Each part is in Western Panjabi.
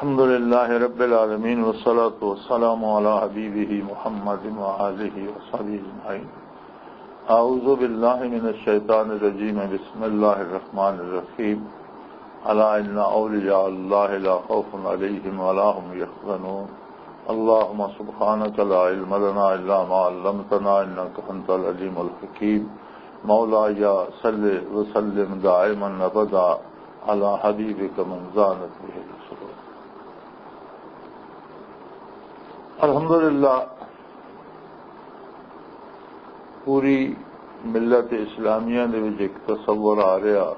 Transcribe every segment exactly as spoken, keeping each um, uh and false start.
الحمد لله رب العالمين، والصلاة والسلام على حبيبه محمد وآله وصحبه أجمعين. أعوذ بالله من الشيطان الرجيم. بسم الله الرحمن الرحيم. ألا إن أولياء الله لا خوف عليهم ولا هم يحزنون. اللهم سبحانك لا علم لنا إلا ما علمتنا إنك أنت العليم الحكيم. مولاي صل وسلم دائما أبدا على حبيبك من زانت به الأسرار. الحمدللہ، پوری ملت اسلامیہ دے وچ ایک تصور آ رہا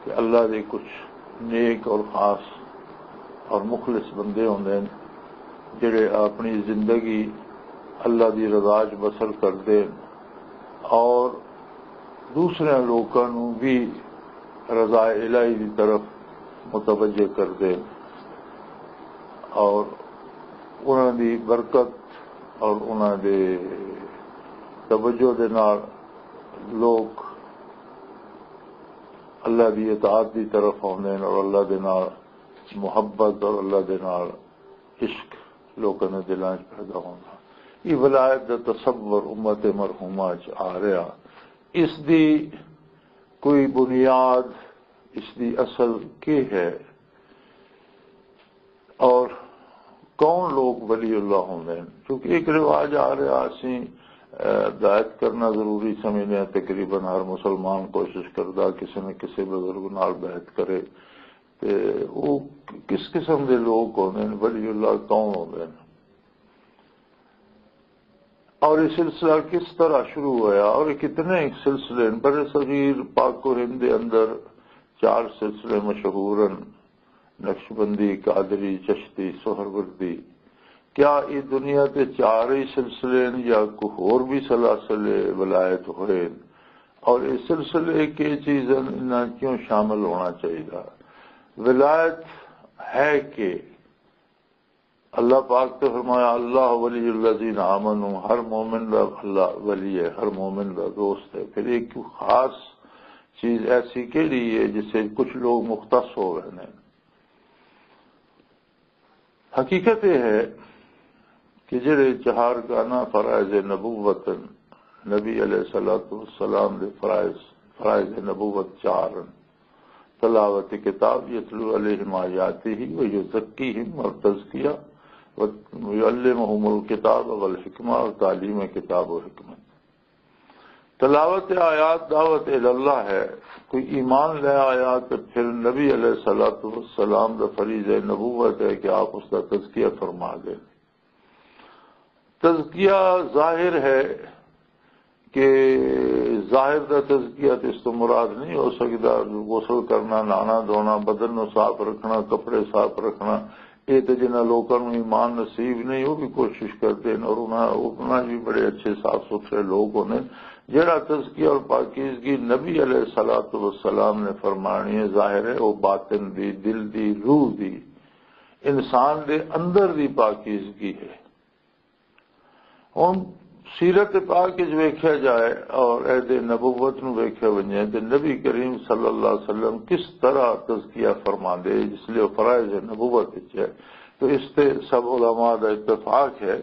کہ اللہ دے کچھ نیک اور خاص اور مخلص بندے ہوندے نے، جڑے اپنی زندگی اللہ دی رضا چ بسر کردے نے اور دوسرے لوکاں نوں بھی رضا الہی دی طرف متوجہ کردے نے اور انہاں دی برکت اور انہاں دے توجہ دے نال لوگ اللہ دی اطاعت دی طرف آندے نے اور اللہ دے نال محبت اور اللہ دے نال عشق لوکاں دے دلاں وچ پیدا ہوندا۔ یہ ولایت دا تصور امت مرحومہ وچ آ رہا، اس دی کوئی بنیاد، اس دی اصل کی ہے؟ اور کون لوگ ولی اللہ ہوندے ہیں؟ کیونکہ ایک رواج آ رہا، اسی، اے، ہدایت کرنا ضروری سمجھنے ہیں۔ تقریباً ہر مسلمان کوشش کردا کسی نہ کسی بزرگ نال بیعت کرے۔ تے وہ کس قسم دے لوگ ہوندے ہیں، ولی اللہ کون ہوندے ہیں؟ اور یہ سلسلہ کس طرح شروع ہویا اور یہ کتنے سلسلے ہیں؟ بر صغیر پاک و ہند دے اندر چار سلسلے مشہور ہیں، نقشبندی، قادری، چشتی، سہروردی۔ کیا یہ دنیا تے چار ہی سلسلے ہیں یا کوئی ہور بھی سلاسل ولایت ہوئے ہیں؟ اور یہ سلسلے کی چیزاں انہاں کیوں شامل ہونا چاہیے؟ ولایت ہے کہ اللہ پاک تے فرمایا، "اللہ ولی الذین آمنوا"، ہر مومن دا اللہ ولی ہے، ہر مومن دا دوست ہے۔ پھر ایک خاص چیز ایسی کیڑی ہے جس سے کچھ لوگ مختص ہو گئے ہیں؟ حقیقت یہ ہے کہ جڑے چہار گانا فرائض نبوت، نبی علیہ الصلوۃ والسلام دے فرائض، فرائض نبوت چار ہیں۔ تلاوت کتاب، یتلو علیہم آیاتہ و یزکیہم، اور تزکیہ، و یعلمہم الکتاب والحکمہ، اور تعلیم کتاب و حکمت۔ تلاوت آیات دعوت الی اللہ ہے۔ کوئی ایمان لے آیا تو پھر نبی علیہ الصلوۃ والسلام دا فریضہ نبوت ہے کہ آپ اس دا تزکیہ فرما دیں۔ تزکیہ ظاہر ہے کہ ظاہر دا تزکیہ تے اس تو مراد نہیں ہو سکدا۔ غسل کرنا، نہانا دھونا، بدن نو صاف رکھنا، کپڑے صاف رکھنا، یہ تے جنہاں لوکاں نوں ایمان نصیب نہیں، وہ بھی کوشش کردے نے اور انہاں، انہاں بھی بڑے اچھے صاف ستھرے لوگ ہونے۔ جڑا تزکیہ اور پاکیزگی نبی علیہ الصلوۃ والسلام نے فرمانی ہے، ظاہر ہے وہ باطن دی، دل دی، روح دی، انسان دے اندر دی پاکیزگی ہے۔ ہن سیرت پاک وچ ویکھیا جائے اور عہد نبوت نو ویکھیا ونجے تے نبی کریم صلی اللہ علیہ وسلم کس طرح تزکیہ فرماندے، جس لئے وہ فرائض نبوت وچ ہے۔ تو اس تے سب علماء دا اتفاق ہے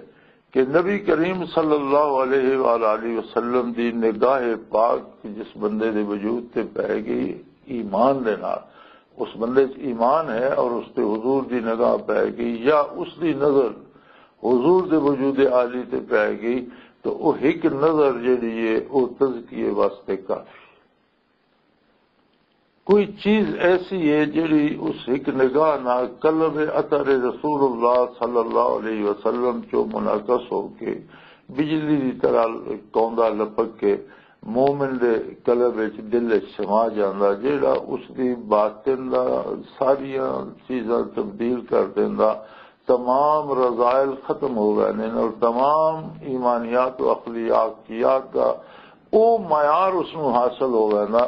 کہ نبی کریم صلی اللہ علیہ وآلہ وسلم دی نگاہ پاک جس بندے دے وجود تے پے گئی ایمان دے نال، اس بندے چ ایمان ہے اور اس تے حضور دی نگاہ پے گئی یا اس دی نظر حضور دے وجود عالی تے پے گئی، تو وہ ایک نظر جڑی ہے، وہ تزکیے واسطے کافی۔ کوئی چیز ایسی ہے جڑی اس ایک نگاہ نال قلب اثر رسول اللہ صلی اللہ علیہ وسلم چو منعکس ہو کے بجلی دی طرح کوندا لپک کے مومن دے قلب وچ، دل وچ سما جاندا، جیڑا اس دی باطن دا ساریاں چیزاں تبدیل کر دیندا۔ تمام رذائل ختم ہو گئے نے اور تمام ایمانیات و اخلاقیات دا او معیار اس نوں حاصل ہو گئے نا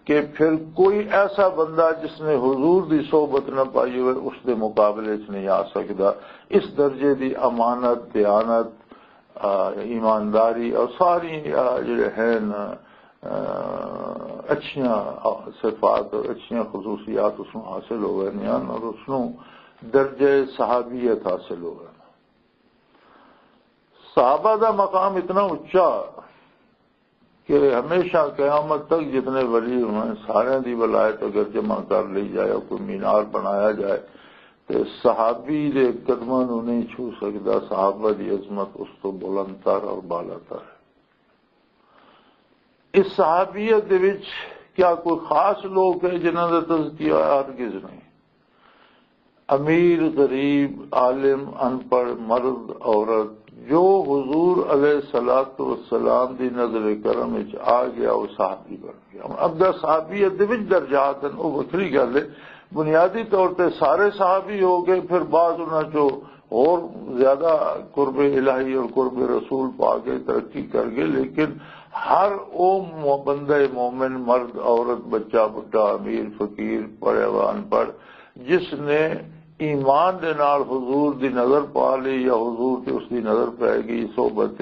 کہ پھر کوئی ایسا بندہ جس نے حضور دی صحبت نہ پائی ہوئے، اس دے مقابلے چ نہیں آ سکدا۔ اس درجے دی امانت، دیانت، آ، ایمانداری اور ساری، آ، جڑے ہیں نا، اچھیاں صفات اور اچھیاں خصوصیات اس نوں حاصل ہو گئے ہیں اور اس نوں درجہ صحابیت حاصل ہو گئے۔ صحابہ دا مقام اتنا اچا کہ ہمیشہ قیامت تک جتنے ولی ہوئے ہیں، سارے دی ولایت اگر جمع کر لی جائے، کوئی مینار بنایا جائے، تے صحابی دے قدماں نوں نہیں چھو سکدا۔ صحابہ دی عظمت اس تو بلند تر اور بالا تر ہے۔ اس صحابیت دے وچ کیا کوئی خاص لوگ ہے جنہاں دا تذکیہ؟ ہرگز نہیں۔ امیر، غریب، عالم، ان پڑھ، مرد، عورت، جو حضور علیہ الصلوۃ والسلام دی نظر کرم وچ آ گیا، وہ صحابی بن گیا۔ ہن اگا صحابیت دے وچ درجات ہیں، وہ وکھری گل ہے۔ بنیادی طور تے سارے صحابی ہو گئے، پھر بعض انہاں چوں اور زیادہ قرب الہی اور قرب رسول پا کے ترقی کر گئے، لیکن ہر او مو-، بندہ مومن، مرد، عورت، بچہ، بڈھا، امیر، فقیر، پڑھے ہوا، ان پڑھ، جس نے ایمان دے نال حضور دی نظر پا لی یا حضور تے اس دی نظر پے گئی، صحبت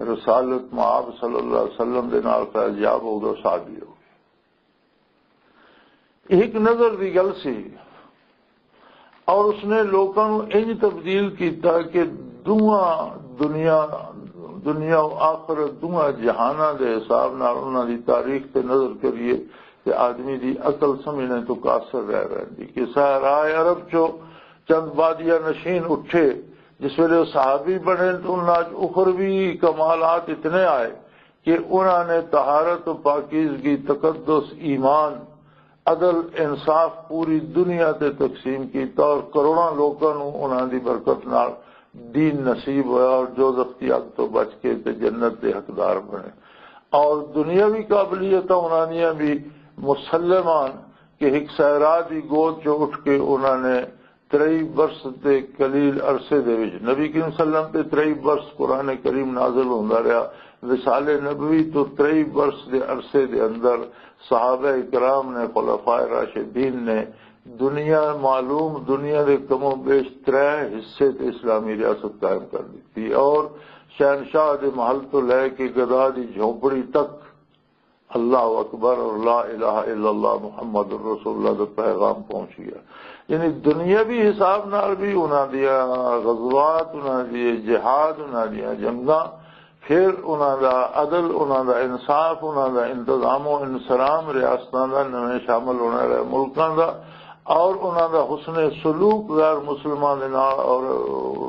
رسالت مآب صلی اللہ علیہ وسلم دے نال فیض یاب ہو گیا، صحابی ہو گیا۔ ایک نظر دی گل سی، اور اس نے لوکاں نوں انج تبدیل کیتا کہ دواں دنیا، دنیا و آخرت، دواں جہاناں دے حساب نال انہاں دی تاریخ تے نظر کریے تے آدمی دی عقل سمجھنے تو قاصر رہ ویندی۔ کہ صحرائے عرب چوں چند بادیہ نشین اٹھے، جس ویلے وہ صحابی بنے تو انہاں چ اخروی کمالات اتنے آئے کہ انہاں نے طہارت و پاکیزگی، تقدس، ایمان، عدل، انصاف پوری دنیا تے تقسیم کیتا اور کروڑاں لوکاں نوں انہاں دی برکت نال دین نصیب ہویا اور دوزخ دی اگ تو بچ کے تے جنت دے حقدار بنے۔ اور دنیاوی قابلیتاں انہاں دیاں بھی مسلمان کہ ایک صحرا دی گود چ اٹھ کے انہاں نے ترئی برس دے قلیل عرصے دے وچ، نبی کریم صلی اللہ علیہ وسلم تے ترئی برس قرآن کریم نازل ہوندا رہیا، وصال نبوی تو ترئی برس دے عرصے دے اندر صحابہ کرام نے، خلفائے راشدین نے دنیا معلوم، دنیا دے کم و بیش ترے حصے تے اسلامی ریاست قائم کر دتی اور شہنشاہ دے محل تو لے کے گدا دی جھونپڑی تک اللہ اکبر اور لا الہ الا اللہ محمد رسول اللہ دا پیغام پہنچ گیا۔ یعنی دنیاوی حساب نال بھی انہاں دیاں غزوات، انہاں دی جہاد، انہاں دیاں جنگاں، پھر انہاں دا عدل، انہاں دا انصاف، انہاں دا انتظام و انصرام، ریاستاں دا، نویں شامل ہونے والے ملکاں دا، اور انہاں دا حسن سلوک غیر مسلماں دے نال اور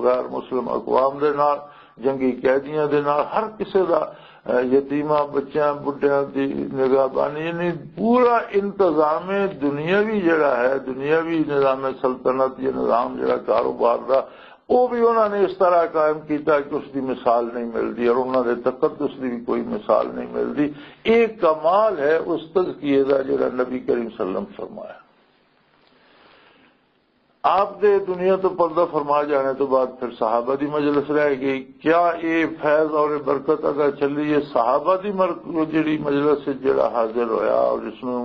غیر مسلم اقوام دے نال، جنگی قیدیاں دے نال، ہر کسے دا، اے، یتیماں، بچیاں، بڈھیاں دی نگہبانی، یعنی پورا انتظام دنیاوی جڑا ہے، دنیاوی نظام سلطنت یا نظام جڑا کاروبار دا، وہ بھی انہاں نے اس طرح قائم کیتا کہ اس دی مثال نہیں ملدی اور انہاں دے تقدس دی بھی کوئی مثال نہیں ملدی۔ ایک کمال ہے اس تزکیے دا جڑا نبی کریم صلی اللہ علیہ وسلم فرمایا۔ آپ دے دنیا تو پردہ فرما جانے تو بعد پھر صحابہ دی مجلس رہ گئی۔ کیا یہ فیض اور برکت اگا چلی ہے؟ صحابہ دی مر-، جڑی مجلس سے جڑا حاضر ہویا اور جس نوں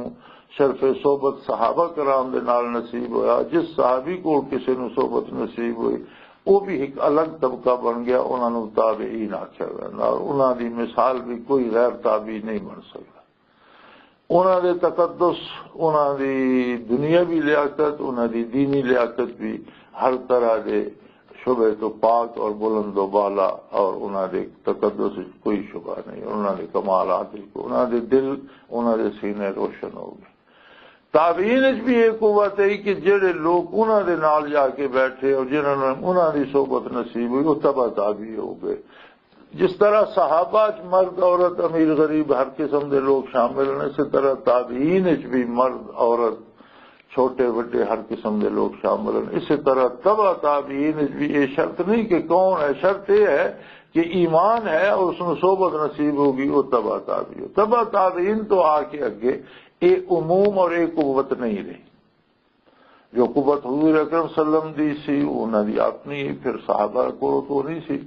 شرف صحبت صحابہ کرام دے نال نصیب ہویا، جس صحابی کو کسے نوں صحبت نصیب ہوئی، وہ بھی ایک الگ طبقہ بن گیا، انہاں نوں تابعین آکھیا جاندا اور انہاں دی مثال بھی کوئی غیر تابعی نہیں بن سکتا۔ انہاں دے تقدس، انہاں دی دنیاوی لیاقت، انہاں دی دینی لیاقت بھی ہر طرح دے شبہ تو پاک اور بلند و بالا، اور انہاں دے تقدس وچ کوئی شبہ نہیں، انہاں دے کمالات وچ، انہاں دے دل، انہاں دے سینے روشن ہو گئے۔ تابعین وچ بھی یہ قوت ہے کہ جڑے لوگ انہاں دے نال جا کے بیٹھے اور جنہاں نوں انہاں دی صحبت نصیب ہوئی، وہ تبع تابعی ہو گئے۔ جس طرح صحابہ چ مرد، عورت، امیر، غریب ہر قسم دے لوگ شامل ہیں، اسی طرح تابعین چ بھی مرد، عورت، چھوٹے وڈے ہر قسم دے لوگ شامل ہیں۔ اسی طرح تبع تابعین چ بھی یہ شرط نہیں کہ کون ہے، شرط یہ ہے کہ ایمان ہے اور اس نوں صحبت نصیب ہوگی، وہ تبع تابعی ہو۔ تبع تابعین تو آ کے اگے یہ عموم اور یہ قوت نہیں رہی۔ جو قوت حضور اکرم صلی اللہ علیہ وسلم دی سی، وہ انہاں دی اپنی، پھر صحابہ کولوں تو نہیں سی۔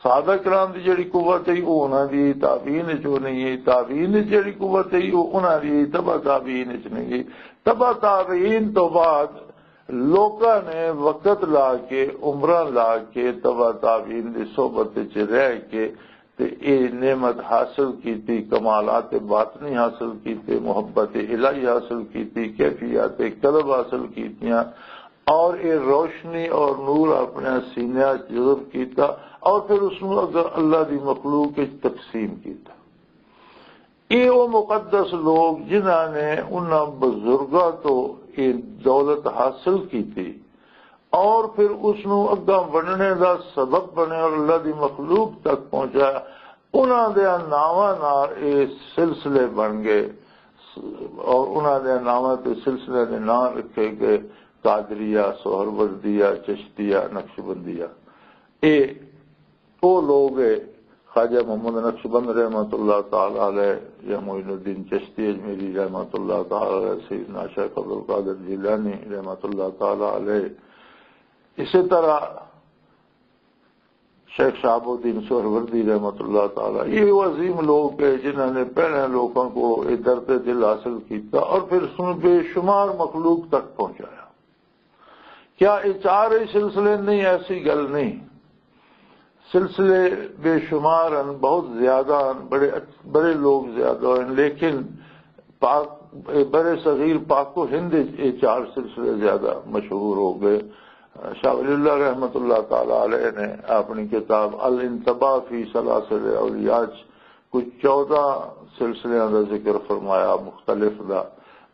صحابہ کرام دی جڑی قوت ہے، وہ انہاں دی، تابعین چ وہ نہیں ہے۔ تابعین دی جڑی قوت ہے، وہ انہاں دی، تبع تابعین چ نہیں ہے۔ تبع تابعین تو بعد لوکاں نے وقت لا کے، عمراں لا کے، تبع تابعین دی صحبت چ رہ کے تے اے نعمت حاصل کیتی، کمالات باطنی حاصل کیتے، محبت الہی حاصل کیتی، کیفیات قلب حاصل کیتیاں، اور اے روشنی اور نور اپنے سینے وچ جذب کیتا، اور پھر اس نوں اگر اللہ دی مخلوق وچ تقسیم کیتا۔ اے او مقدس لوگ جنہاں نے انہاں بزرگاں تو اے دولت حاصل کیتی، اور پھر اس نوں اگاں ونڈنے دا سبب بنے اور اللہ دی مخلوق تک پہنچایا، انہاں دے ناواں نال اے سلسلے بن گئے، اور انہاں دے ناواں تے سلسلے دے نام رکھے گئے، قادریہ، سہروردیہ، چشتیہ، نقشبندیہ۔ اے او لوگ اے، خواجہ محمد نقشبند رحمۃ اللہ تعالی علیہ، یا معین الدین چشتی اجمیری رحمۃ اللہ تعالی علیہ، سیدنا شیخ عبدالقادر جیلانی رحمۃ اللہ تعالی علیہ، اسی طرح شیخ شہاب الدین سہروردی رحمۃ اللہ تعالی، یہ وہ عظیم لوگ ہے جنہوں نے پہلے لوگوں کو یہ درد دل حاصل کیتا اور پھر اس میں بے شمار مخلوق تک پہنچایا۔ کیا یہ چار ہی سلسلے؟ نہیں، ایسی گل نہیں۔ سلسلے بے شمار ہیں، بہت زیادہ ہیں، بڑے اچ-، بڑے لوگ زیادہ ہیں، لیکن پاک، بر صغیر پاک و ہند وچ یہ چار سلسلے زیادہ مشہور ہو گئے۔ شاہ ولی اللہ رحمۃ اللہ تعالی علیہ نے اپنی کتاب الانتباہ فی سلاسل اولیاء چ کچھ چودہ سلسلیاں دا ذکر فرمایا، مختلف دا۔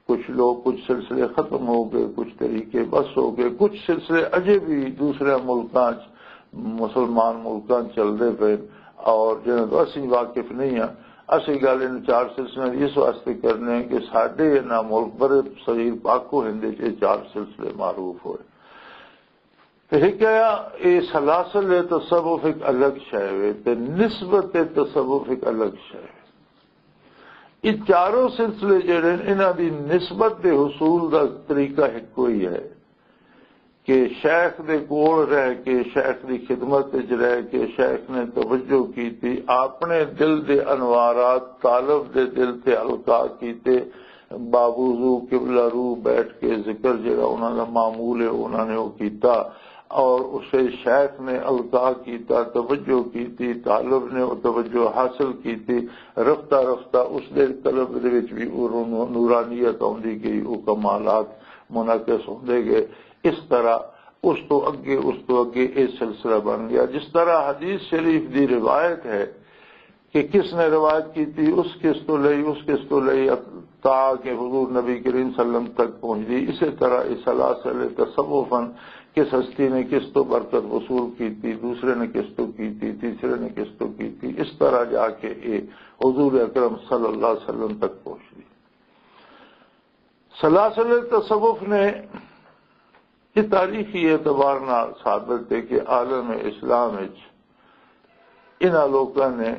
کچھ لوگ، کچھ سلسلے ختم ہو گئے، کچھ طریقے بس ہو گئے، کچھ سلسلے اجے بھی دوسرے ملکاں چ، مسلمان ملکاں چ چلدے پے، اور جنہاں تو اسی واقف نہیں ہاں۔ اسی گل ان چار سلسلے دی اس واسطے کرنے ہیں کہ ساڈے انہاں ملک بر صغیر پاک و ہند وچ یہ چار سلسلے معروف ہوئے۔ تے ایک ہے، اے سلاسل تصوف ایک الگ شے وے، تے نسبت تصوف ایک الگ شے وے۔ یہ چاروں سلسلے جڑے نے، انہاں دی نسبت دے حصول دا طریقہ ایک کوئی ہے کہ شیخ دے کول رہ کے، شیخ دی خدمت وچ رہ کے، شیخ نے توجہ کیتی، اپنے دل دے انوارات طالب دے دل تے القا کیتے، باوضو قبلہ رو بیٹھ کے ذکر جڑا انہاں دا معمول ہے، انہاں نے وہ کیتا، اور اسے شیخ نے القا کیتا، توجہ کیتی، طالب نے وہ توجہ حاصل کیتی۔ رفتہ رفتہ اس دے قلب دے وچ بھی وہ نو-، نورانیت آندی گئی، وہ کمالات منعکس ہوندے گئے۔ اس طرح اس تو اگے، اس تو اگے یہ سلسلہ بن گیا۔ جس طرح حدیث شریف دی روایت ہے کہ کس نے روایت کی تھی، اس کس تو لئی، اس کس تو لئی، تا کہ حضور نبی کریم صلی اللہ علیہ وسلم تک پہنچ گئی۔ اسی طرح یہ سلاسل تصوفاً کس ہستی نے کس تو برکت وصول کی تھی، دوسرے نے کس تو کی تھی، تیسرے نے کس تو کی تھی، اس طرح جا کے یہ حضور اکرم صلی اللہ علیہ وسلم تک پہنچ گئی۔ سلاسل تصوف نے یہ تاریخی اعتبار نال ثابت ہے کہ عالم اسلام وچ انہاں لوکاں نے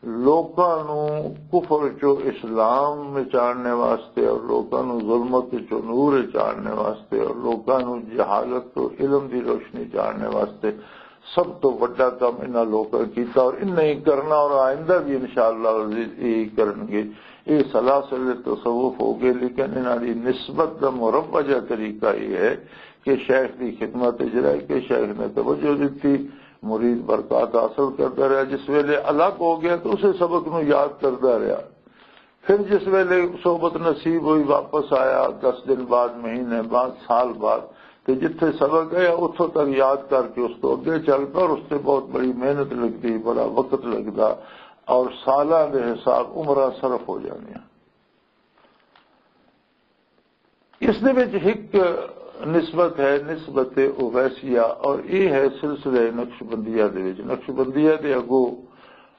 لوکاں نوں کفر چوں اسلام وچ آننے واسطے اور لوکاں نوں ظلمت چوں نور وچ آننے واسطے اور لوکاں نوں جہالت تو علم دی روشنی چ آننے واسطے سب تو وڈا کم انہاں لوکاں کیتا اور انہاں ہی کرنا اور آئندہ بھی انشاءاللہ عزیز یہی کرن گے۔ یہ سلاسل تصوف ہو گئے، لیکن انہاں دی نسبت دا مروجہ طریقہ یہ ہے کہ شیخ دی خدمت وچ رہ کے شیخ نے توجہ دتی، مرید برکات حاصل کردا رہیا۔ جس ویلے الگ ہو گیا تو اسے سبق نو یاد کردا رہیا۔ پھر جس ویلے صحبت نصیب ہوئی، واپس آیا، دس دن بعد، مہینے بعد، سال بعد، تے جتھے سبق گیا اتھوں تک یاد کر کے اس تو اگے چل پیا، اور اس تے بہت بڑی محنت لگدی، بڑا وقت لگدا، اور سالاں دے حساب عمراں صرف ہو جاندیاں۔ اس دے وچ ایک نسبت ہے، نسبت اویسیہ، اور یہ ہے سلسلہ نقشبندیہ دے وچ۔ نقشبندیہ دے اگوں،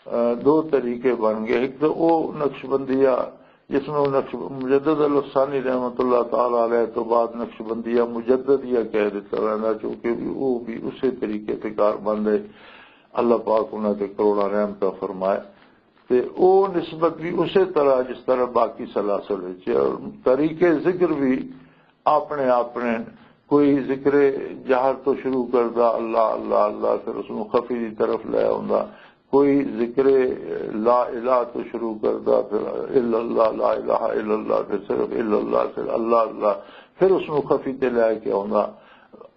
آ، دو طریقے بن گئے۔ ایک تو او نقشبندیہ جس نوں نقش-، مجدد الافسانی رحمۃ اللہ تعالی علیہ تو بعد نقشبندیہ مجددیہ کہہ دیتا ویندا، چونکہ بھی وہ بھی اسی طریقے تے کار بند ہے۔ اللہ پاک انہاں تے کروڑاں رحمتاں فرمائے۔ تے او نسبت بھی اسی طرح جس طرح باقی سلاسل وچ ہے۔ اور طریقے ذکر بھی اپنے اپنے، کوئی ذکر جہر تو شروع کردا، اللہ اللہ اللہ، پھر اس نوں خفی دی طرف لے آوندا، کوئی ذکر لا الہ تو شروع کردا، پھر الا اللہ، لا الہ الا اللہ، پھر صرف الا اللہ، پھر اللہ اللہ، پھر اس نوں خفی تے لے کے آوندا۔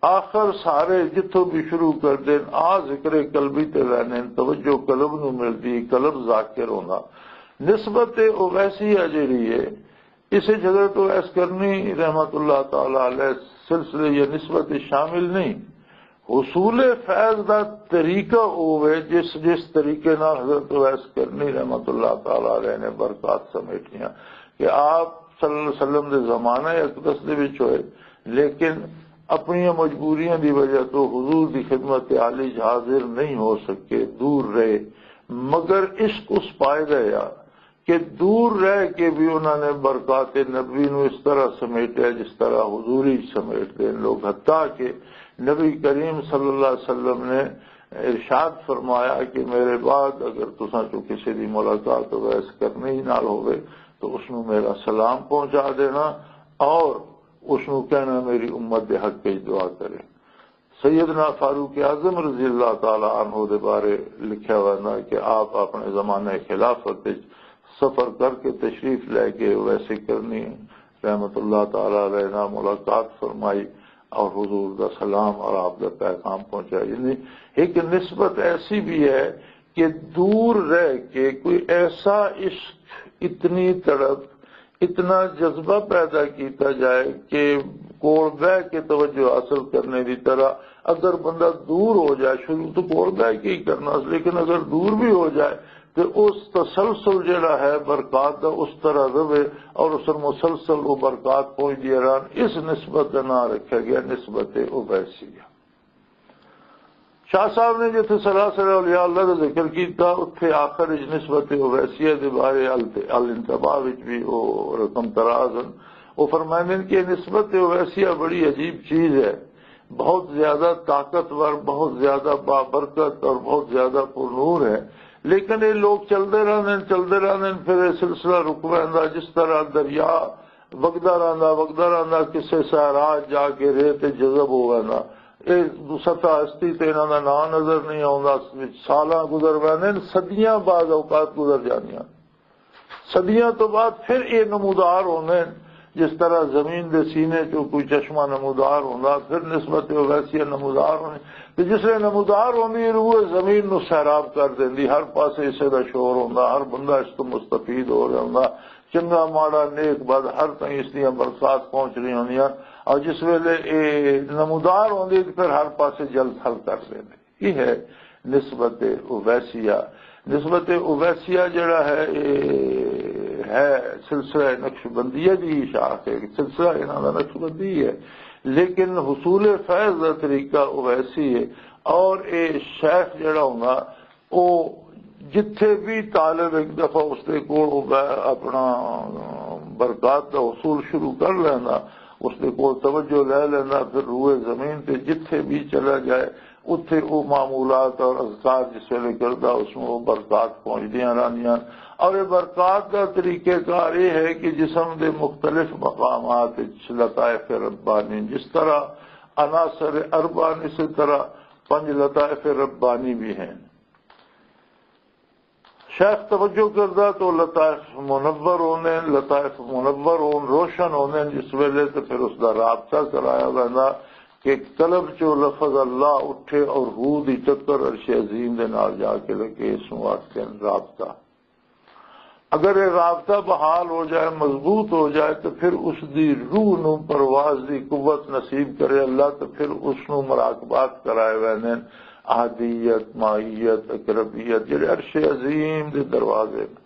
آخر سارے جتھوں بھی شروع کر دین، آ ذکر قلبی تے رہنے، توجہ قلب نو ملدی، قلب ذاکر ہوندا۔ نسبت اویسیہ جیڑی ہے، اسے حضرت اویس کرنی رحمت اللہ تعالی علیہ سلسلے یا نسبت شامل نہیں۔ حصول فیض دا طریقہ ہووے، جس جس طریقے نال حضرت اویس کرنی رحمت اللہ تعالی علیہ نے برکات سمیٹیاں، کہ آپ صلی اللہ علیہ وسلم دے زمانہ اقدس دے وچ ہوئے، لیکن اپنی مجبوریاں دی وجہ تو حضور دی خدمت عالی حاضر نہیں ہو سکے، دور رہے۔ مگر عشق اس پائے دا یا کہ دور رہ کے بھی انہوں نے برکات نبوی نو اس طرح سمیٹیا جس طرح حضوری سمیٹتے ہیں لوگ، حتیٰ کہ نبی کریم صلی اللہ علیہ وسلم نے ارشاد فرمایا کہ میرے بعد اگر تساں چوں کسی دی ملاقات اویس کرنی ہی نال ہوئے تو اس نو میرا سلام پہنچا دینا، اور اس نو کہنا میری امت دے حق وچ دعا کرے۔ سیدنا فاروق اعظم رضی اللہ تعالی عنہ دے بارے لکھیا ہوا ہے کہ آپ اپنے زمانے خلافت وچ سفر کر کے تشریف لے کے ویسے کرنی رحمت اللہ تعالی علیہ نال ملاقات فرمائی اور حضور دا سلام اور آپ دا پیغام پہنچایا۔ یعنی ایک نسبت ایسی بھی ہے کہ دور رہ کے کوئی ایسا عشق، اتنی تڑپ، اتنا جذبہ پیدا کیتا جائے کہ کول بہ کے توجہ حاصل کرنے دی طرح۔ اگر بندہ دور ہو جائے، شروع تو کول بہ کے ہی کرنا، لیکن اگر دور بھی ہو جائے تو اس تسلسل جڑا ہے برکات دا، اس طرح رہے اور اس مسلسل وہ برکات پہنچدی رہن۔ اس نسبت دا نام رکھا گیا نسبت اویسیہ۔ شاہ صاحب نے جتھے سلاسل اولیاء اللہ دا ذکر کیتا، اتھے آخر وچ نسبت اویسیہ دے بارے ال-، الانتباہ وچ بھی وہ رقم تراز ہیں۔ وہ فرمائندے ہیں کہ نسبت اویسیہ بڑی عجیب چیز ہے، بہت زیادہ طاقتور، بہت زیادہ بابرکت اور بہت زیادہ پر نور ہے۔ لیکن یہ لوگ چلتے رہتے ہیں، چلتے رہتے ہیں، پھر یہ سلسلہ رک ویندا۔ جس طرح دریا وگدا رہندا، وگدا رہندا، کسے صحرا جا کے ریت تے جذب ہو ویندا۔ اے سطح ہستی تے انہاں دا نام نظر نہیں آوندا۔ سالاں گزر ویندے نے، صدیاں بعض اوقات گزر جاندیاں۔ صدیاں تو بعد پھر اے نمودار ہوندے نے، جس طرح زمین دے سینے چوں کوئی چشمہ نمودار ہوندا، پھر نسبت اویسیہ نمودار ہوندی۔ تے جس ویلے نمودار ہوندی، روح زمین نو سیراب کر دیندی، ہر پاسے اسے دا شور ہوندا، ہر بندہ اس تو مستفید ہو رہا ہوندا۔ چنگا ماڑا نیک بد ہر تائیں اس دیاں برکات پہنچ رہی ہوندیاں۔ اور جس ویلے اے نمودار ہوندی تے پھر ہر پاسے جل تھل کر دیندے۔ یہ ہے نسبت اویسیہ۔ نسبت اویسیہ جڑا ہے، اے ہے سلسلہ نقشبندیہ دی شاخ ہے، سلسلہ انہاں دا نقشبندی ہے، لیکن حصول فیض دا طریقہ اویسی ہے۔ اور اے شیخ جڑا ہوندا، او جتھے بھی طالب ایک دفعہ اس دے کول او بہ-، اپنا برکات دا حصول شروع کر لیندا، اس دے کول توجہ لے لیندا، پھر روئے زمین تے جتھے بھی چلا جائے، اتھے او معمولات اور اذکار جس ویلے کردا، اس نوں او برکات پہنچدیاں رہندیاں۔ اور یہ برکات دا طریقہ کار یہ ہے کہ جسم دے مختلف مقامات وچ لطائف ربانی، جس طرح عناصر اربع، اسی طرح پنج لطائف ربانی بھی ہیں۔ شیخ توجہ کردا تو لطائف منور ہونے، لطائف منور ہون، روشن ہونے، جس ویلے تے پھر اس دا رابطہ کرایا ویندا کہ قلب چوں لفظ اللہ اٹھے اور روح دی ٹکر عرش عظیم دے نال جا کے لگے۔ اس نوں آکھدے نے رابطہ۔ اگر یہ رابطہ بحال ہو جائے، مضبوط ہو جائے، تو پھر اس دی روح نو پرواز دی قوت نصیب کرے اللہ، تو پھر اس نو مراقبات کرائے ویندے نے، احدیت، معیت، اقربیت، جڑے عرش عظیم دے دروازے نے۔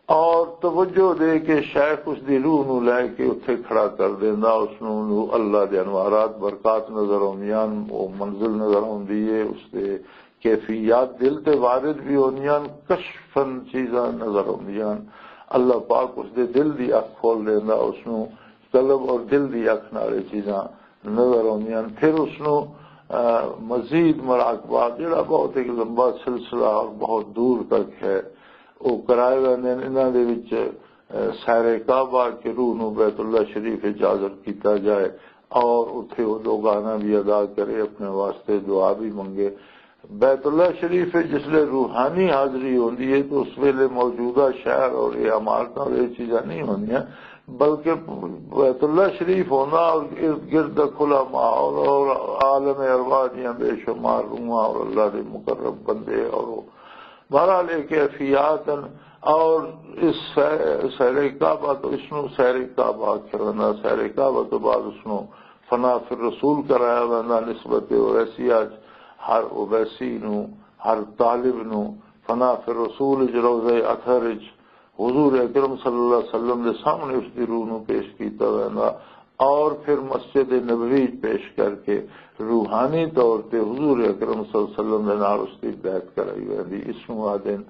اور توجہ دے کے شیخ اس دی روح نو لے کے اتھے کھڑا کر دیندا، اس نو، نو اللہ دے انوارات، برکات نظر آوندیاں، وہ منزل نظر آوندی ہے، اس دے کیفیات دل تے وارد بھی ہوندیاں، کشفن چیزاں نظر آوندیاں۔ اللہ پاک اس دے دل دی اکھ کھول دیندا، اس نو قلب اور دل دی اکھ نال یہ چیزاں نظر آوندیاں۔ پھر اس نو، آ، مزید مراقبہ، جڑا بہت ایک لمبا سلسلہ اور بہت دور تک ہے، وہ کرائے ویندے نے۔ انہاں دے وچ، آ، سیر کعبہ کے روح نو بیت اللہ شریف وچ حاضر کیتا جائے اور اتھے وہ دوگانہ بھی ادا کرے، اپنے واسطے دعا بھی منگے۔ بیت اللہ شریف وچ جس لے روحانی حاضری ہوندی ہے تو اس ویلے موجودہ شہر اور یہ عمارتاں اور یہ چیزاں نہیں ہوندیاں، بلکہ بیت اللہ شریف ہونا اور ارد گرد دا کھلا ماحول اور عالم ارواح دیاں بے شمار روحاں اور اللہ دے مقرب بندے اور وہ، بہرحال یہ کیفیات ہیں۔ اور اس سہ-، سیر کعبہ تو اس نو سیر کعبہ آکھیا ویندا۔ سیر کعبہ تو بعد اس نو فنا فی الرسول کرایا ویندا۔ نسبت اویسیہ چ ہر اویسی نو، ہر طالب نو فنا فی الرسول چ، روضہ اطہر چ حضور اکرم صلی اللہ علیہ وسلم دے سامنے اس دی روح نو پیش کیتا ویندا اور پھر مسجد نبوی پیش کر کے روحانی طور تے حضور اکرم صلی اللہ علیہ وسلم دے نال اس دی بیعت کرائی ویندی۔ اس نو آدن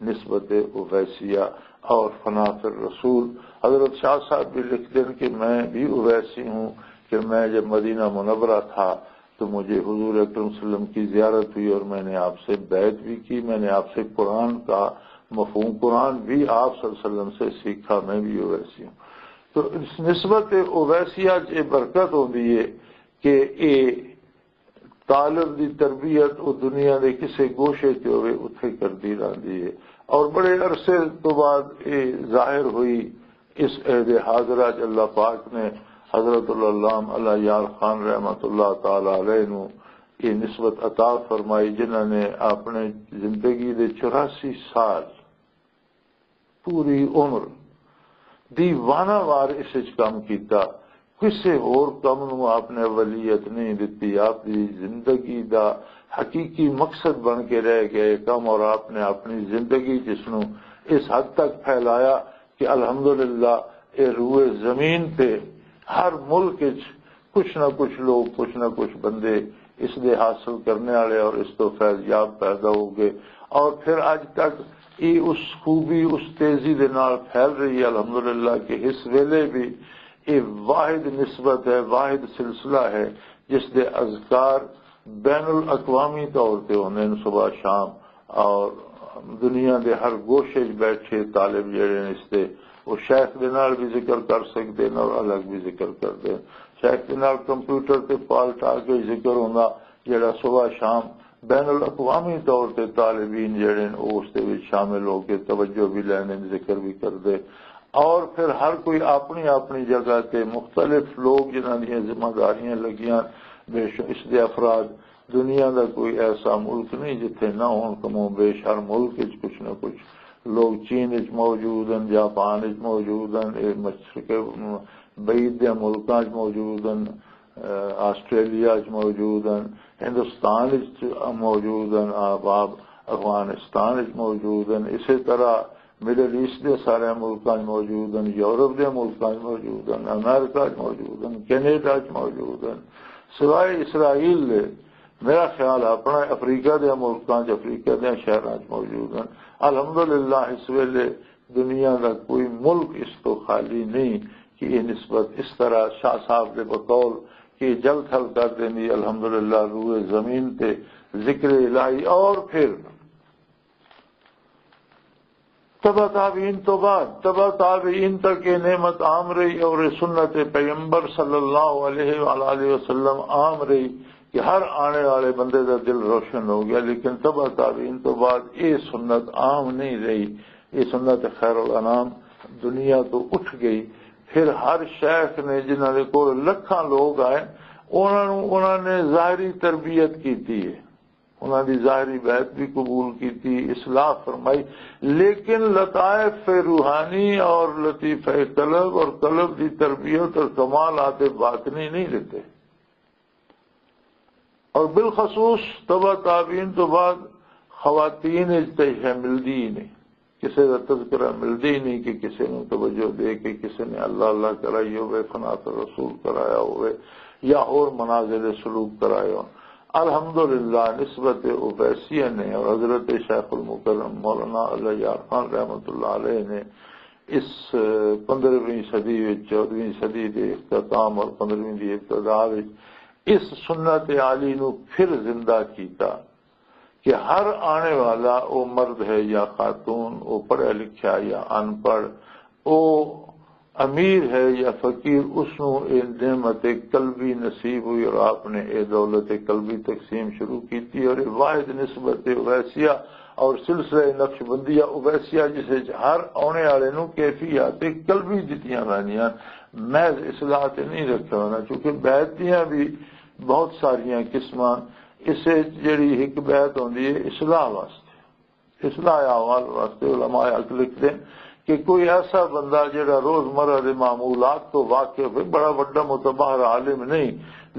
نسبت اویسیہ اور فنا فی الرسول۔ حضرت شاہ صاحب بھی لکھ دین کہ میں بھی اویسی ہوں، کہ میں جب مدینہ منورہ تھا تو مجھے حضور اکرم صلی اللہ علیہ وسلم کی زیارت ہوئی اور میں نے آپ سے بیعت بھی کی، میں نے آپ سے قرآن کا مفہوم، قرآن بھی آپ صلی اللہ علیہ وسلم سے سیکھا، میں بھی ویسی ہوں۔ تو اس نسبت اویسیہ چ یہ برکت ہوندی ہے کہ یہ طالب دی تربیت وہ دنیا دے کسے گوشے تے ہوئے اتھے کردی رہندی ہے۔ اور بڑے عرصے تو بعد یہ ظاہر ہوئی۔ اس عہد حاضرہ چ اللہ پاک نے حضرت العلام اللہ یار خان رحمۃ اللہ تعالی علیہ نو یہ نسبت عطا فرمائی، جنہاں نے اپنے زندگی دے چوراسی سال، پوری عمر دی وانہ وار اس وچ کم کیتا۔ کسے ہور کم نو آپ نے اولیت نہیں دتی۔ آپ دی زندگی دا حقیقی مقصد بن کے رہ گیا یہ کم، اور آپ نے اپنی زندگی جس نو اس حد تک پھیلایا کہ الحمدللہ اے روئے زمین تے ہر ملک وچ کچھ نہ کچھ لوگ، کچھ نہ کچھ بندے اس دے حاصل کرنے والے اور اس تو فیض یاب پیدا ہو گئے۔ اور پھر اج تک یہ اس خوبی، اس تیزی دے نال پھیل رہی ہے الحمدللہ، کہ اس ویلے بھی یہ واحد نسبت ہے، واحد سلسلہ ہے، جس دے اذکار بین الاقوامی طور تے ہوندے نے صبح شام، اور دنیا دے ہر گوشے 'چ بیٹھے طالب جڑے نے اس تے، وہ شیخ دے نال بھی ذکر کر سکدے نے اور الگ بھی ذکر کردے نے۔ شیخ دے نال کمپیوٹر تے پال ٹا کے ذکر ہوندا، جڑا صبح شام بین الاقوامی طور تے طالبین جڑے نے، وہ اس دے وچ شامل ہو کے توجہ بھی لینے، ذکر بھی کردے۔ اور پھر ہر کوئی اپنی اپنی جگہ تے مختلف لوگ جنہاں دیاں ذمہ داریاں لگیاں، بے شک اس دے افراد، دنیا دا کوئی ایسا ملک نہیں جتھے نہ ہون، کم و بیش ہر ملک وچ کچھ نہ کچھ لوگ۔ چین وچ موجود ہیں، جاپان وچ موجود ہیں، اے مشرق بعید دے ملکاں وچ موجود ہیں، آسٹریلیا وچ موجود ہیں، ہندوستان وچ موجود ہیں، آپ، آپ افغانستان وچ موجود ہیں، اسی طرح مڈل ایسٹ دے سارے ملکاں وچ موجود ہیں، یورپ دے ملکاں وچ موجود ہیں، امریکہ وچ موجود ہیں، کینیڈا وچ موجود ہیں، سوائے اسرائیل دے۔ میرا خیال ہے اپنا افریقہ دے ملکاں وچ، افریقہ دے شہراں وچ موجود ہیں۔ الحمدللہ اس ویلے دنیا دا کوئی ملک اس تو خالی نہیں کہ یہ نسبت اس طرح شاہ صاحب دے بقول کہ جل تھل کر دینی۔ الحمدللہ روئے زمین تے ذکر الہی۔ اور پھر تبع تابعین تو بعد، تبع تابعین تک یہ نعمت عام رہی اور یہ سنت پیغمبر صلی اللہ علیہ وآلہ وسلم عام رہی کہ ہر آنے والے بندے دا دل روشن ہو گیا۔ لیکن تبع تابعین تو بعد یہ سنت عام نہیں رہی، یہ سنت خیر الانام دنیا تو اٹھ گئی۔ پھر ہر شیخ نے، جنہاں دے کول لکھاں لوگ آئے، انہاں نوں، انہاں نے ظاہری تربیت کیتی ہے، انہاں دی ظاہری بیعت بھی قبول کیتی، اصلاح فرمائی، لیکن لطائف روحانی اور لطیفہ قلب اور قلب دی تربیت اور کمالات باطنی نہیں دیتے۔ اور بالخصوص تبع تابعین تو بعد خواتین اچ تے یہ ملدی ہی نہیں، کسے دا تذکرہ ملدی ہی نہیں کہ کسے نوں توجہ دے کے کسے نے اللہ اللہ کرائی ہوئے، فنا تو رسول کرایا ہوئے یا ہور منازل سلوک کرائے ہون۔ الحمدللہ نسبت اویسیہ نے اور حضرت شیخ المکرم مولانا اللہ یار خان رحمۃ اللہ علیہ نے اس پندرہویں صدی وچ، چودہویں صدی دے اختتام اور پندرہویں دی ابتدا وچ اس سنت عالی نو پھر زندہ کیتا کہ ہر آنے والا، او مرد ہے یا خاتون، او پڑھیا لکھیا یا ان پڑھ، او امیر ہے یا فقیر، اس نو اے نعمت قلبی نصیب ہوئی اور آپ نے اے دولت قلبی تقسیم شروع کیتی اور اے واحد نسبت ویسیہ اور سلسلہ نقشبندیہ اویسیہ، جس وچ ہر آنے والے نوں کیفیات قلبی دتیاں ویندیاں، محض اصلاح تے نہیں رکھیا ہونا، کیونکہ بیعت دیاں بھی بہت ساریاں قسماں۔ اس وچ جڑی ایک بیعت ہوندی ہے اصلاح واسطے، اصلاح احوال واسطے، علماء حق لکھتے ہیں کہ کوئی ایسا بندہ جڑا روزمرہ دے معمولات تو واقف ہے، بڑا وڈا متبہر عالم نہیں،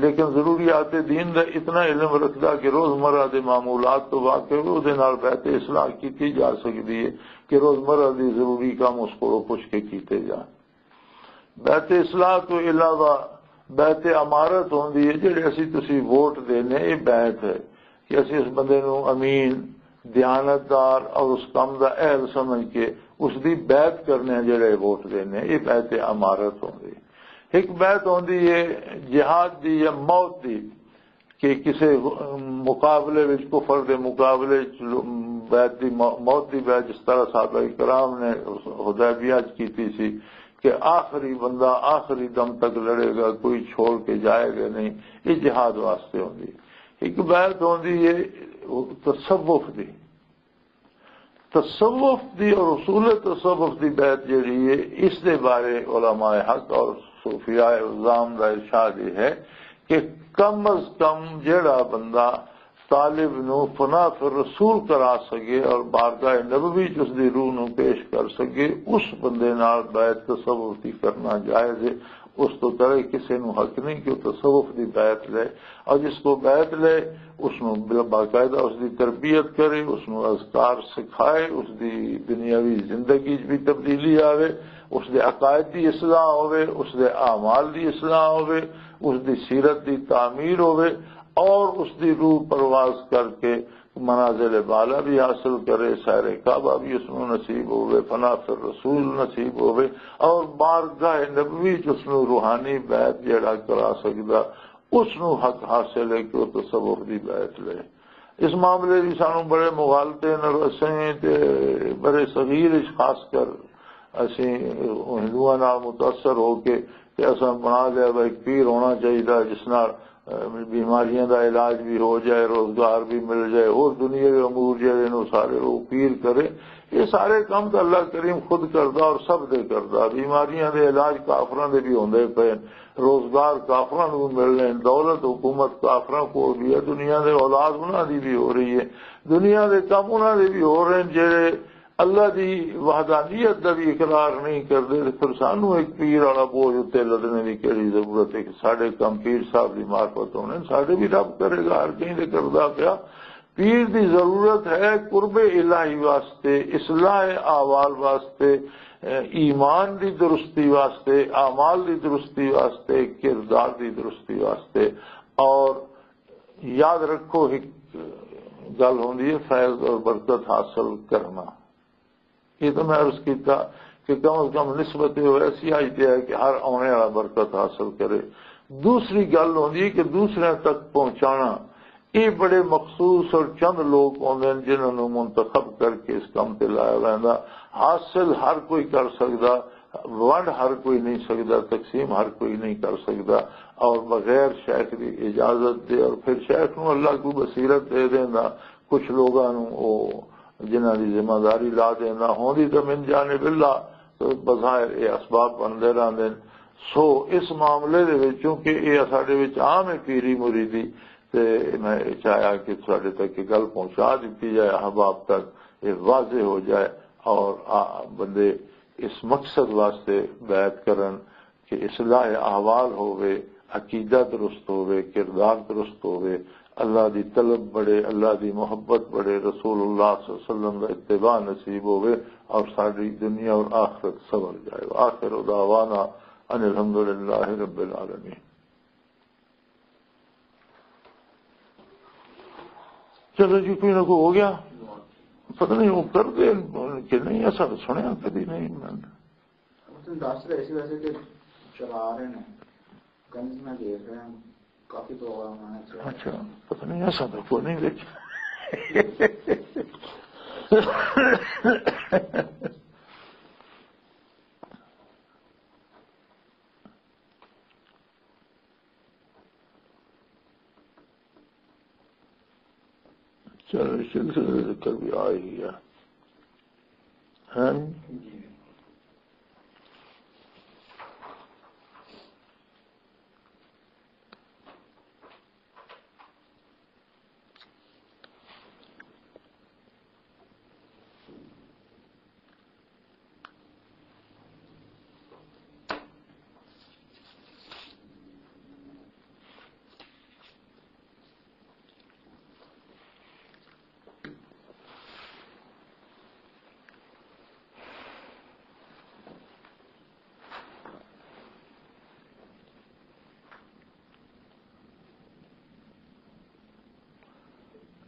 لیکن ضروریات دین دا اتنا علم رکھدا کہ روزمرہ دے معمولات تو واقف ہے، اودے نال بیعت اصلاح کیتی جا سکدی ہے کہ روزمرہ دی ضروری کام اس کولوں پوچھ کے کیتے جان۔ بیعت اصلاح تو علاوہ بیعت امارت ہوندی ہے، جڑے اسی تسی ووٹ دینے، یہ بیعت ہے کہ اسی اس بندے نو امین، دیانتدار اور اس کام دا اہل سمجھ کے اس دی بیعت کرنے ہیں، جڑے ووٹ دینے ہیں، یہ بیعت امارت ہوندی ہے۔ ایک بیعت ہوندی ہے جہاد دی یا موت دی، کہ کسے مقابلے وچ، کفر دے مقابلے وچ لو-، بیعت دی مو-، موت دی بیعت، جس طرح صحابہ کرام نے حدیبیہ وچ کیتی سی کہ آخری بندہ آخری دم تک لڑے گا، کوئی چھوڑ کے جائے گا نہیں، یہ جہاد واسطے ہوندی۔ ایک بیعت ہوندی ہے تصوف دی، تصوف دی اور اصول تصوف دی بیعت جڑی ہے، اس دے بارے علماء حق اور صوفیاء عظام دا ارشاد یہ ہے کہ کم از کم جڑا بندہ طالب نو فنا فی الرسول کرا سکے اور بارگاہ نبوی چ اس دی روح نو پیش کر سکے، اس بندے نال بیعت تصوف دی کرنا جائز ہے۔ اس تو کرے کسے نو حق نہیں کہ وہ تصوف دی بیعت لے، اور جس کو بیعت لے، اس نو بل-، باقاعدہ اس دی تربیت کرے، اس نو اذکار سکھائے، اس دی دنیاوی زندگی وچ بھی تبدیلی آوے، اس دے عقائد دی اصلاح ہوے، اس دے اعمال دی اصلاح ہوے، اس دی سیرت دی تعمیر ہوے، اور اس دی روح پرواز کر کے منازل بالا بھی حاصل کرے، سیر کعبہ بھی اس نو نصیب ہوے، فنا فی الرسول نصیب ہوے، اور بارگاہ نبوی چ اس نو روحانی بیعت جڑا کرا سکدا، اس نو حق حاصل ہے کہ وہ تصوف دی بیعت لے۔ اس معاملے دی سانو بڑے مغالطے نال اسیں تے بڑے صغیر اچ خاص کر اسیں ہندوؤں نال متاثر ہو کے تے اساں بنا لیا بھائی پیر ہونا چاہیے جس نال، اے، بیماریاں دا علاج بھی ہو جائے، روزگار بھی مل جائے، اور دنیا دے امور جڑے نے وہ سارے لوگ پیر کرے۔ یہ سارے کام تو اللہ کریم خود کردا اور سب دے کردا۔ بیماریاں دے علاج کافراں دے بھی ہوندے پے، روزگار کافراں نوں ملنے، دولت حکومت کافراں کول بھی ہے، دنیا دے اولاد انہاں دی بھی ہو رہی ہے، دنیا دے کم انہاں دے بھی ہو رہے ہیں جڑے اللہ دی وحدانیت دا بھی اقرار نہیں کردے۔ تے پھر سانوں ایک پیر والا بوجھ اتنے لدنے دی کہڑی ضرورت ہے کہ ساڈے کم پیر صاحب دی معرفت ہونے، ساڈے بھی رب کرے گا، ہر کہیں دے کردا پیا۔ پیر دی ضرورت ہے قرب الہی واسطے، اصلاح احوال واسطے، ایمان دی درستی واسطے، اعمال دی درستی واسطے، کردار دی درستی واسطے۔ اور یاد رکھو، ایک گل ہوندی ہے فیض اور برکت حاصل کرنا۔ یہ تو میں عرض کیتا کہ کم از کم نسبت یہ ایسی آئی تے ہے کہ ہر آنے والا برکت حاصل کرے۔ دوسری گل ہوندی ہے کہ دوسرے تک پہنچانا، یہ بڑے مخصوص اور چند لوگ ہوندے ہیں جنہاں نوں منتخب کر کے اس کام تے لایا ویندا۔ حاصل ہر کوئی کر سکدا، ونڈ ہر کوئی نہیں سکدا، تقسیم ہر کوئی نہیں کر سکدا، اور بغیر شیخ دی اجازت دے اور پھر شیخ نوں اللہ کو بصیرت دے دیندا، کچھ لوگاں نوں او جنہاں دی ذمہ داری لا دینا ہوندی تے من جانب اللہ، تو بظاہر اے اسباب بندے رہندے نے۔ سو اس معاملے دے وچ چونکہ اے ساڈے وچ عام ہے پیری مریدی، تے میں چاہیا کہ ساڈے تک یہ گل پہنچا دتی جائے، احباب تک یہ واضح ہو جائے، اور آ، بندے اس مقصد واسطے بیعت کرن کہ اصلاح احوال ہووے، عقیدہ درست ہووے، کردار درست ہووے، اللہ دی طلب بڑھے، اللہ دی محبت بڑھے، رسول اللہ صلی اللہ علیہ وسلم دا اتباع نصیب ہووے اور ساری دنیا اور آخرت سنور جائے۔ وآخر دعوانا ان الحمدللہ رب العالمین۔ چلو جی، کوئی نہ کوئی ہو گیا۔ پتہ نہیں وہ کر دے کہ نہیں، ایسا تو سنیا کبھی نہیں میں نے۔ اس نے دس رہے سی ویسے کہ چلا رہے ہیں، گنج میں دیکھ رہے ہیں، کافی پروگرام آنا چاہیے۔ اچھا، پتہ نہیں، ایسا تو کوئی نہیں دیکھا۔ چلو، سلسلے ذکر بھی آ ہی گیا۔ ہیں؟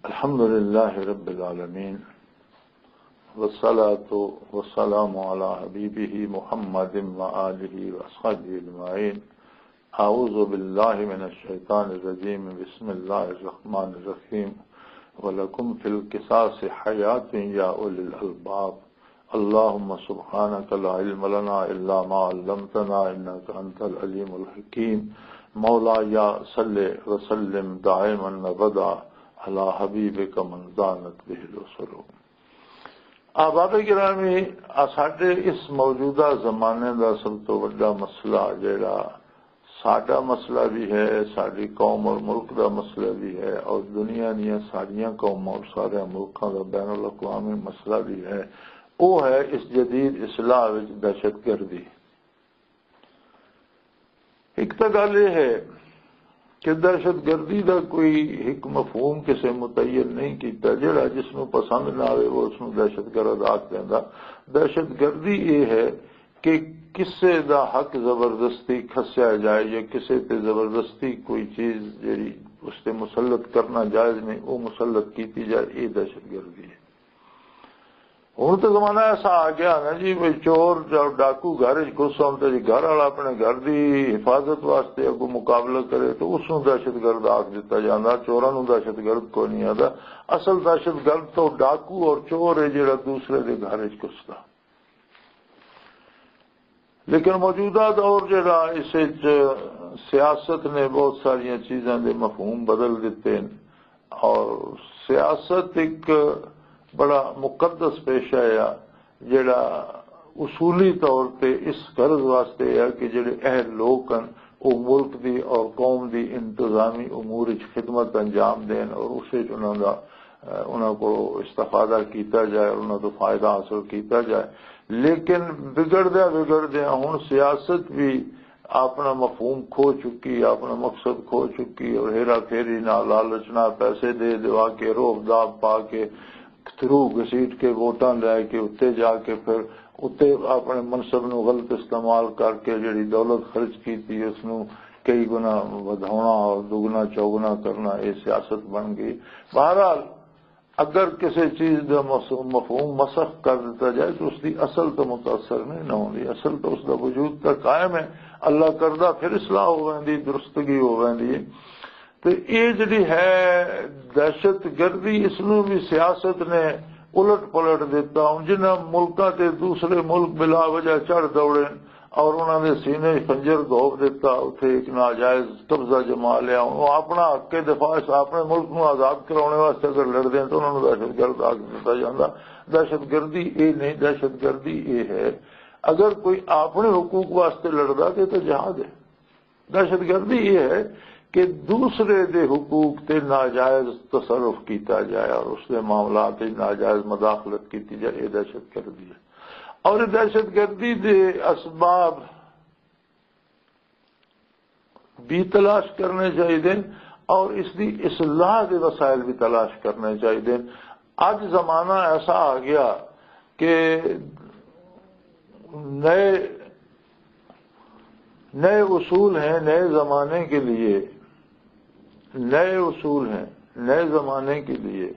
الحمد لله رب العالمين، والصلاة والسلام على حبيبه محمد وآله وأصحابه أجمعين. أعوذ بالله من الشيطان الرجيم. بسم الله الرحمن الرحيم. ولكم في القصاص حياة يا أولي الألباب. اللهم سبحانك لا علم لنا إلا ما علمتنا إنك أنت العليم الحكيم. مولاي صل وسلم دائما أبدا على حبيبك من دانت به الأسر. احباب گرامی، آ ساڈے اس موجودہ زمانے دا سب تو وڈا مسئلہ، جیڑا ساڈا مسئلہ بھی ہے، ساڈی قوم اور ملک دا مسئلہ بھی ہے، اور دنیا دیاں ساریاں قوماں اور سارے ملکاں دا بین الاقوامی مسئلہ بھی ہے، وہ ہے اس جدید اصلاح وچ دہشت گردی۔ ایک تو گل یہ ہے کہ دہشت گردی دا کوئی ایک مفہوم کسے متعین نہیں کیتا، جڑا جس نوں پسند نہ آوے، وہ اس نوں دہشت گرد آکھ دیندا۔ دہشت گردی یہ ہے کہ کسے دا حق زبردستی کھسیا جائے یا کسے تے زبردستی کوئی چیز جڑی اس تے مسلط کرنا جائز نہیں، وہ مسلط کیتی جائے، یہ دہشت گردی ہے۔ ہن تے زمانہ ایسا آ گیا نا جی، بھئی چور یا ڈاکو گھر وچ گھس آؤن تے جی گھر والا اپنے گھر دی حفاظت واسطے اگوں مقابلہ کرے تو اس نوں دہشت گرد آکھ دتا جاندا، چوراں نوں دہشت گرد کوئی نہیں آندا۔ اصل دہشت گرد تو ڈاکو اور چور ہے جڑا دوسرے دے گھر وچ گھسدا۔ لیکن موجودہ دور جڑا، اس وچ سیاست نے بہت ساریاں چیزاں دے مفہوم بدل دیتے ہیں، اور سیاست ایک بڑا مقدس پیشہ ہے، جڑا اصولی طور تے اس غرض واسطے ہے کہ جڑے اہل لوگ ہیں، وہ ملک دی اور قوم دی انتظامی امور وچ خدمت انجام دین اور اس وچ انہاں دا، انہاں کو استفادہ کیتا جائے اور انہاں تو فائدہ حاصل کیتا جائے۔ لیکن بگڑدیا بگڑدیا ہن سیاست بھی اپنا مفہوم کھو چکی، اپنا مقصد کھو چکی، اور ہیرا پھیری نہ، لالچ نہ، پیسے دے دوا کے، روب داب پا کے، تھرو گھسیٹ کے، ووٹاں لے کے، اتے جا کے پھر اتے اپنے منصب نو غلط استعمال کر کے جڑی دولت خرچ کیتی، اس نو کئی گنا ودھاونا اور دگنا چوگنا کرنا، یہ سیاست بن گئی۔ بہرحال، اگر کسی چیز دا مس-، مفہوم مسخ کر دیتا جائے تو اس دی اصل تو متاثر نہیں نہ ہوندی، اصل تو اس دا وجود تا قائم ہے۔ اللہ کردہ پھر اصلاح ہو ویندی، درستگی ہو ویندی ہے۔ تے اے جڑی ہے دہشت گردی، اس نوں بھی سیاست نے الٹ پلٹ دیتا۔ ہن جنہاں ملکاں تے دوسرے ملک بلا وجہ چڑھ دوڑے اور انہاں دے سینے وچ خنجر گھوپ دیتا، اتھے ایک ناجائز قبضہ جما لیا۔ ہن وہ اپنا حق دفاع، اس اپنے ملک نوں آزاد کرانے واسطے اگر لڑدے ہیں تو انہاں نوں دہشت گرد آکھ دتا جاندا۔ دہشت گردی اے نہیں، دہشت گردی اے ہے، اگر کوئی اپنے حقوق واسطے لڑدا تے تو جہاد ہے۔ دہشت گردی یہ ہے کہ دوسرے دے حقوق تے ناجائز تصرف کیتا جائے اور اس دے معاملات وچ ناجائز مداخلت کیتی جائے، یہ دہشت گردی ہے۔ اور یہ دہشت گردی دے اسباب بھی تلاش کرنے چاہیے اور اس دی اصلاح دے وسائل بھی تلاش کرنے چاہیے۔ اج زمانہ ایسا آ گیا کہ نئے، نئے اصول ہیں نئے زمانے کے لیے، نئے اصول ہیں نئے زمانے کے لیے۔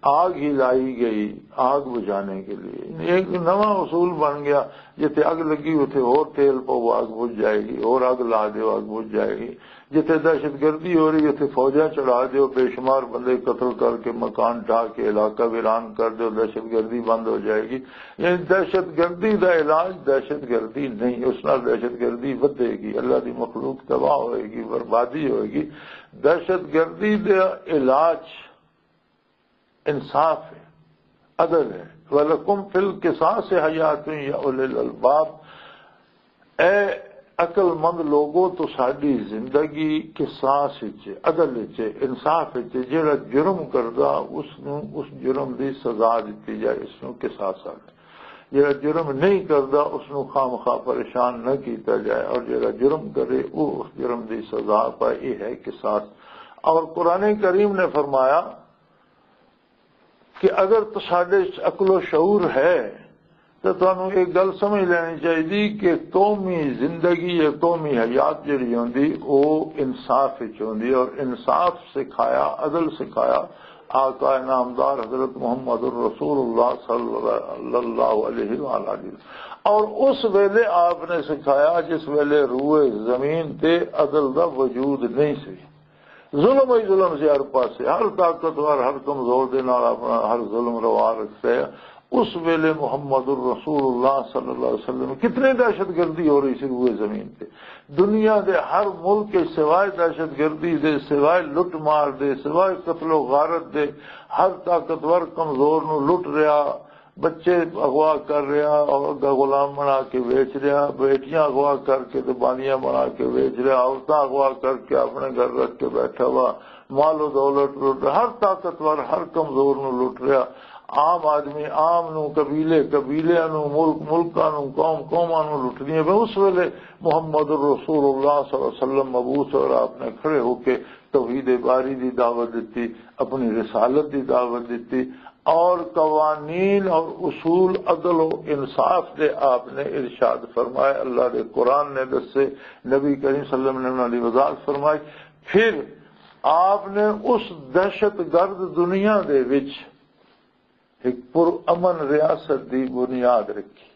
آگ ہی لائی گئی آگ بجھانے کے لیے، ایک نواں اصول بن گیا۔ جتھے اگ لگی اتھے ہور تیل پاؤ، اگ بجھ جائے گی، اور اگ لا دیو، اگ بجھ جائے گی۔ جتھے دہشت گردی ہو رہی اتھے فوجاں چڑھا دیو، بے شمار بندے قتل کر کے مکان ڈھا کے علاقہ ویران کر دیو، دہشت گردی بند ہو جائے گی۔ یعنی دہشت گردی دا علاج دہشت گردی نہیں، اس نال دہشت گردی ودے گی، اللہ دی مخلوق تباہ ہوئے گی، بربادی ہوئے گی۔ دہشت گردی دا علاج انصاف ہے، عدل ہے۔ وَلَكُمْ فِي الْقِصَاصِ حَيَاتٌ يَا أُولِي الْأَلْبَابِ۔ اے عقل مند لوگو، تساڈی زندگی قصاص وچ، عدل وچ، انصاف وچ۔ جڑا جرم کردا، اس نو اس جرم دی سزا دتی جائے، اس نو قصاص آکھدے۔ جڑا جرم نہیں کردا، اس نو خامخواہ پریشان نہ کیتا جائے، اور جڑا جرم کرے، وہ اس جرم دی سزا پائے۔ یہ ہے قصاص۔ اور قرآن کریم نے فرمایا کہ اگر تساڈے وچ عقل و شعور ہے، تو تانوں یہ گل سمجھ لینی چاہیے کہ قومی زندگی یا قومی حیات جڑی ہوندی، وہ انصاف وچ ہوندی، اور انصاف سکھایا، عدل سکھایا آقا نامدار حضرت محمد الرسول اللہ صلی اللہ علیہ وآلہ وسلم۔ اور اس ویلے آپ نے سکھایا جس ویلے روئے زمین تے عدل دا وجود نہیں سی۔ ظلم ہی ظلم سی ہر پاسے، ہر طاقتور، ہر کمزور دے نال اپنا ہر ظلم روا رکھتا ہے۔ اس ویلے محمد الرسول اللہ صلی اللہ علیہ وسلم، کتنی دہشت گردی ہو رہی سی روئے زمین تے۔ دنیا دے ہر ملک کے سوائے دہشت گردی دے، سوائے لٹ مار دے، سوائے قتل و غارت دے، ہر طاقتور کمزور نو لٹ رہا، بچے اغوا کر رہا، اور اگا غلام بنا کے بیچ رہا، بیٹیاں اغوا کر کے تے باندیاں بنا کے بیچ رہا، عورتاں اغوا کر کے اپنے گھر رکھ کے بیٹھا ہوا، مال و دولت لٹ رہا، ہر طاقتور، ہر کمزور نو لٹ رہا، عام آدمی عام نو، قبیلے قبیلیاں نو، ملک ملکاں نو، قوم قوماں نو لٹدیاں پئے۔ اس ویلے محمد الرسول اللہ صلی اللہ علیہ وسلم مبعوث اور آپ نے کھڑے ہو کے توحید باری دی دعوت دیتی، اپنی رسالت دی دعوت دیتی، اور قوانین اور اصول عدل و انصاف دے آپ نے ارشاد فرمائے، اللہ دے قرآن نے دسے، نبی کریم صلی اللہ علیہ وسلم نے انہاں دی وضاحت فرمائی۔ پھر آپ نے اس دہشت گرد دنیا دے وچ ایک پر امن ریاست دی بنیاد رکھی،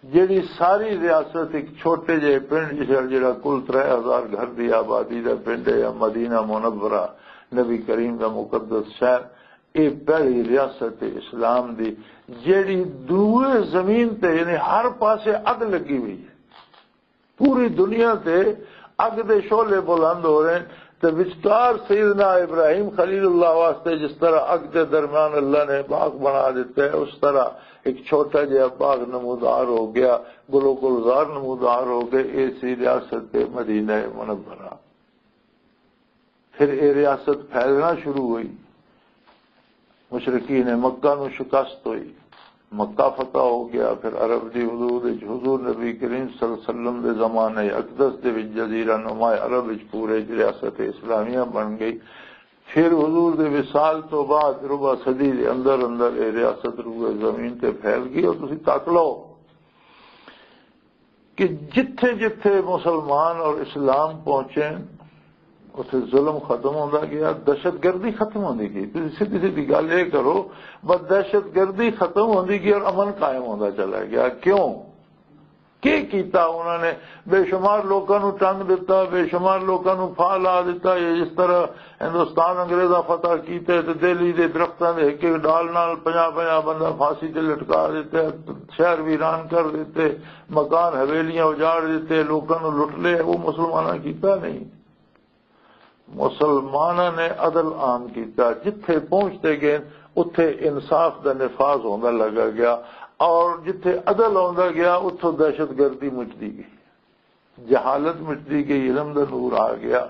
جیڑی ساری ریاست ایک چھوٹے جہے پنڈ جس، جڑا کل ترے ہزار گھر دی آبادی دا پنڈ ہے، یا مدینہ منورہ، نبی کریم دا مقدس شہر، اے پہلی ریاست اسلام دی، جیڑی دوئے زمین تے، یعنی ہر پاسے اگ لگی ہوئی ہے۔ پوری دنیا تے اگ دے شعلے بلند ہو رہے ہیں، تے وچکار سیدنا ابراہیم خلیل اللہ واسطے جس طرح اگ دے درمیان اللہ نے باغ بنا دیتا ہے، اس طرح ایک چھوٹا جہا باغ نمودار ہو گیا، گل و گلزار نمودار ہو گئے۔ اے سی ریاست مدینہ منورہ۔ پھر اے ریاست پھیلنا شروع ہوئی، مشرکین مکہ نو شکست ہوئی، مکہ فتح ہو گیا۔ پھر عرب دی حدود وچ حضور نبی کریم صلی اللہ علیہ وسلم دے زمانے اقدس دے وچ جزیرہ نما عرب وچ پورے وچ ریاست اسلامیہ بن گئی۔ پھر حضور دے وصال تو بعد ربع صدی دے اندر اندر اے ریاست روئے زمین تے پھیل گئی۔ اور تسی تک لو کہ جتھے جتھے مسلمان اور اسلام پہنچے، اتھے ظلم ختم ہوندا گیا، دہشت گردی ختم ہوندی گئی۔ تسی سیدھی سیدھی گل یہ کرو، بس دہشت گردی ختم ہوندی گئی اور امن قائم ہوندا چلا گیا۔ کیوں؟ کی کیتا انہوں نے؟ بے شمار لوکاں نو ٹنگ دتا، بے شمار لوکاں نو پھا لا دتا۔ یہ جس طرح ہندوستان انگریزاں فتح کیتے تے دہلی دے درختاں دے ایک ایک ڈال نال پنجاہ پنجاہ بندہ پھانسی تے لٹکا دیتے، شہر ویران کر دیتے، مکان حویلیاں اجاڑ دیتے، لوکاں نو لٹ لے، وہ مسلماناں کیتا نہیں۔ مسلماناں نے عدل عام کیتا، جتھے پہنچتے گئے اتھے انصاف دا نفاذ ہوندا لگا گیا، اور جتھے عدل ہوندا گیا اتھوں دہشت گردی مٹدی گئی، جہالت مٹدی گئی، علم دا نور آ گیا،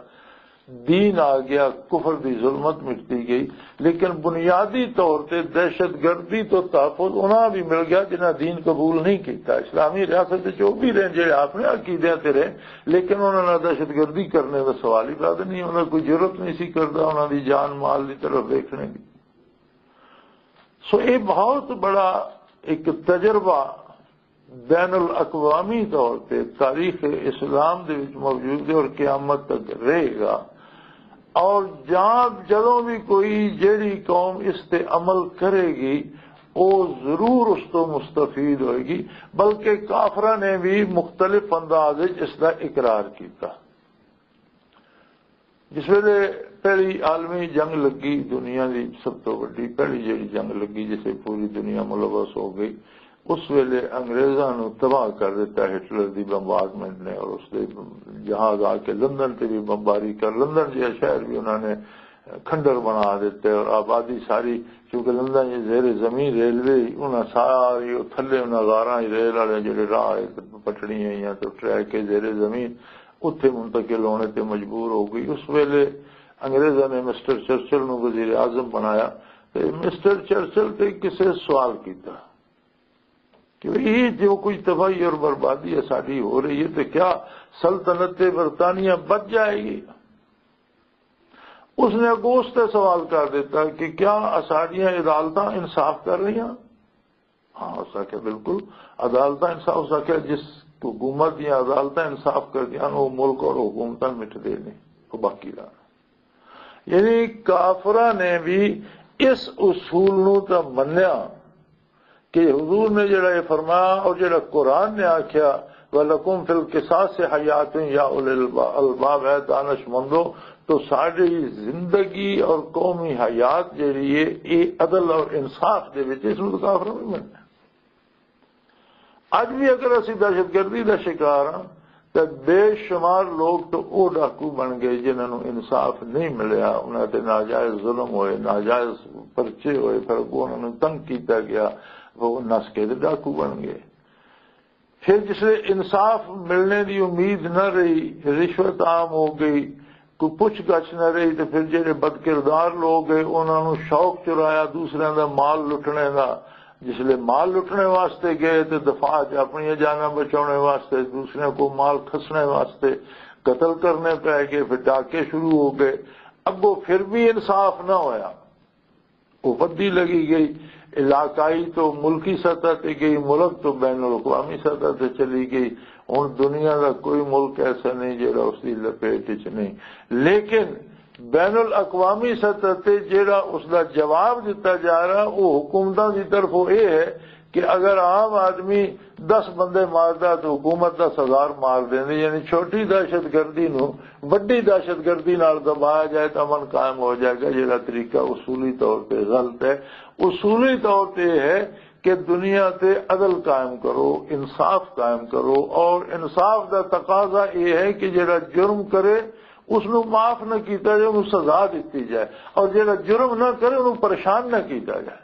دین آ گیا، کفر دی ظلمت مٹدی گئی۔ لیکن بنیادی طور تے دہشت گردی تو تحفظ انہاں بھی مل گیا جنہاں دین قبول نہیں کیتا۔ اسلامی ریاست وچ او بھی رہے جڑے اپنے عقیدے تے رہے، لیکن انہاں نے دہشت گردی کرنے دا سوال ہی پیدا نہیں، انہاں کوئی جرات نہیں سی کردا انہاں دی جان مال دی طرف دیکھنے دی۔ سو یہ بہت بڑا ایک تجربہ بین الاقوامی طور پہ تاریخ اسلام دے وچ موجود ہے اور قیامت تک رہے گا۔ اور جہاں جدوں بھی کوئی جیڑی قوم اس تے عمل کرے گی، وہ ضرور اس تو مستفید ہوئے گی، بلکہ کافراں نے بھی مختلف انداز وچ اس دا اقرار کیتا۔ جس ویلے پہلی عالمی جنگ لگی، دنیا دی سب تو وڈی پہلی جیڑی جنگ لگی، جس وچ پوری دنیا ملوث ہو گئی، اس ویلے انگریزاں نو تباہ کر دیتا ہٹلر دی بمبارڈمنٹ نے، اور اس دے جہاز آ کے لندن تے بھی بمباری کر، لندن جہا شہر بھی انہاں نے کھنڈر بنا دیتے اور آبادی ساری، کیونکہ لندن یہ زیر زمین ریلوے ہی، انہاں ساری وہ تھلے انہاں غاراں ہی ریل والے جڑے راہ ہے، پٹڑیاں یا تو ٹریک ہے زیر زمین، اتھے منتقل ہونے تے مجبور ہو گئی۔ اس ویلے انگریزاں نے مسٹر چرچل نو وزیر اعظم بنایا، تے مسٹر چرچل تے کسے سوال کیتا کہ یہ جو کچھ تباہی اور بربادی ہے ساری ہو رہی ہے، تو کیا سلطنت برطانیہ بچ جائے گی؟ اس نے اگوس تے سوال کر دیتا کہ کیا ساڈیاں عدالتاں انصاف کر رہی ہیں؟ ہاں، اس آکھیا بالکل، عدالتاں انصاف، اس آکھیا جس حکومت دیاں عدالتاں انصاف کر دیاں، وہ ملک اور حکومتاں مٹدے نہیں، وہ باقی رہنا۔ یعنی کافراں نے بھی اس اصول نو تاں منیا کہ حضور نے جڑا یہ فرمایا اور جڑا قرآن نے آکھیا، "وَلَكُمْ فِي الْقِصَاصِ حَيَاتٌ يَا أُولِي الْأَلْبَابِ"، اے دانش مندو، تو ساری زندگی اور قومی حیات جڑی ہے، یہ عدل اور انصاف دے وچ، اس نوں تو کافر نہیں مننا۔ اج بھی اگر اسی دہشت گردی دا شکار ہاں، تے بے شمار لوگ تو او ڈاکو بن گئے جنہاں نوں انصاف نہیں ملیا، انہاں تے ناجائز ظلم ہوئے، ناجائز پرچے ہوئے، پھر اگوں انہاں نوں تنگ کیتا گیا، وہ نس کے تے ڈاکو بن گئے۔ پھر جس لے انصاف ملنے دی امید نہ رہی، رشوت عام ہو گئی، کوئی پوچھ گچھ نہ رہی، تے پھر جڑے بد کردار لوگ گئے، انہاں نوں شوق چرایا دوسرے دا مال لٹنے دا۔ جس لے مال لٹنے واسطے گئے تے دفاع چ اپنی جاناں بچاؤنے واسطے، دوسرے کو مال کھسنے واسطے قتل کرنے پے گئے، پھر ڈاکے شروع ہو گئے۔ اگوں پھر بھی انصاف نہ ہویا، وہ ودی لگی گئی، علاقائی تو ملکی سطح تے گئی، ملک تو بین الاقوامی سطح تے چلی گئی۔ ہن دنیا دا کوئی ملک ایسا نہیں جڑا اس دی لپیٹ وچ نہیں۔ لیکن بین الاقوامی سطح تے جڑا اس دا جواب دتا جا رہا، وہ حکومتاں دی طرفوں یہ ہے کہ اگر عام آدمی دس بندے ماردا تو حکومت دس ہزار مار دیندی، یعنی چھوٹی دہشت گردی نو وڈی دہشت گردی نال دبایا جائے تو امن قائم ہو جائے گا۔ جڑا طریقہ اصولی طور پہ غلط ہے۔ اصولی طور پہ یہ ہے کہ دنیا تے عدل قائم کرو، انصاف قائم کرو، اور انصاف دا تقاضا یہ ہے کہ جڑا جرم کرے اس نو معاف نہ کیتا جائے، انہوں سزا دتی جائے، اور جڑا جرم نہ کرے انہوں پریشان نہ کیتا جائے۔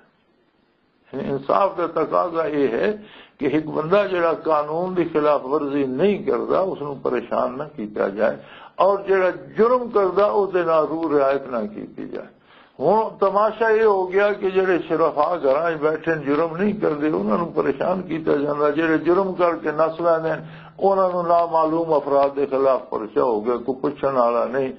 یعنی انصاف دا تقاضا یہ ہے کہ ایک بندہ جڑا قانون دی خلاف ورزی نہیں کردا، اس نوں پریشان نہ کیتا جائے، اور جڑا جرم کردا، اس دے نال رو رعایت نہ کیتی جائے۔ ہن تماشا یہ ہو گیا کہ جڑے شرفا گھراں وچ بیٹھے نے، جرم نہیں کردے، انہاں نوں پریشان کیتا جاندا، جڑے جرم کر کے نس لیندے نے، انہاں نوں نامعلوم افراد دے خلاف پرچہ ہو گیا، کوئی پوچھن والا نہیں۔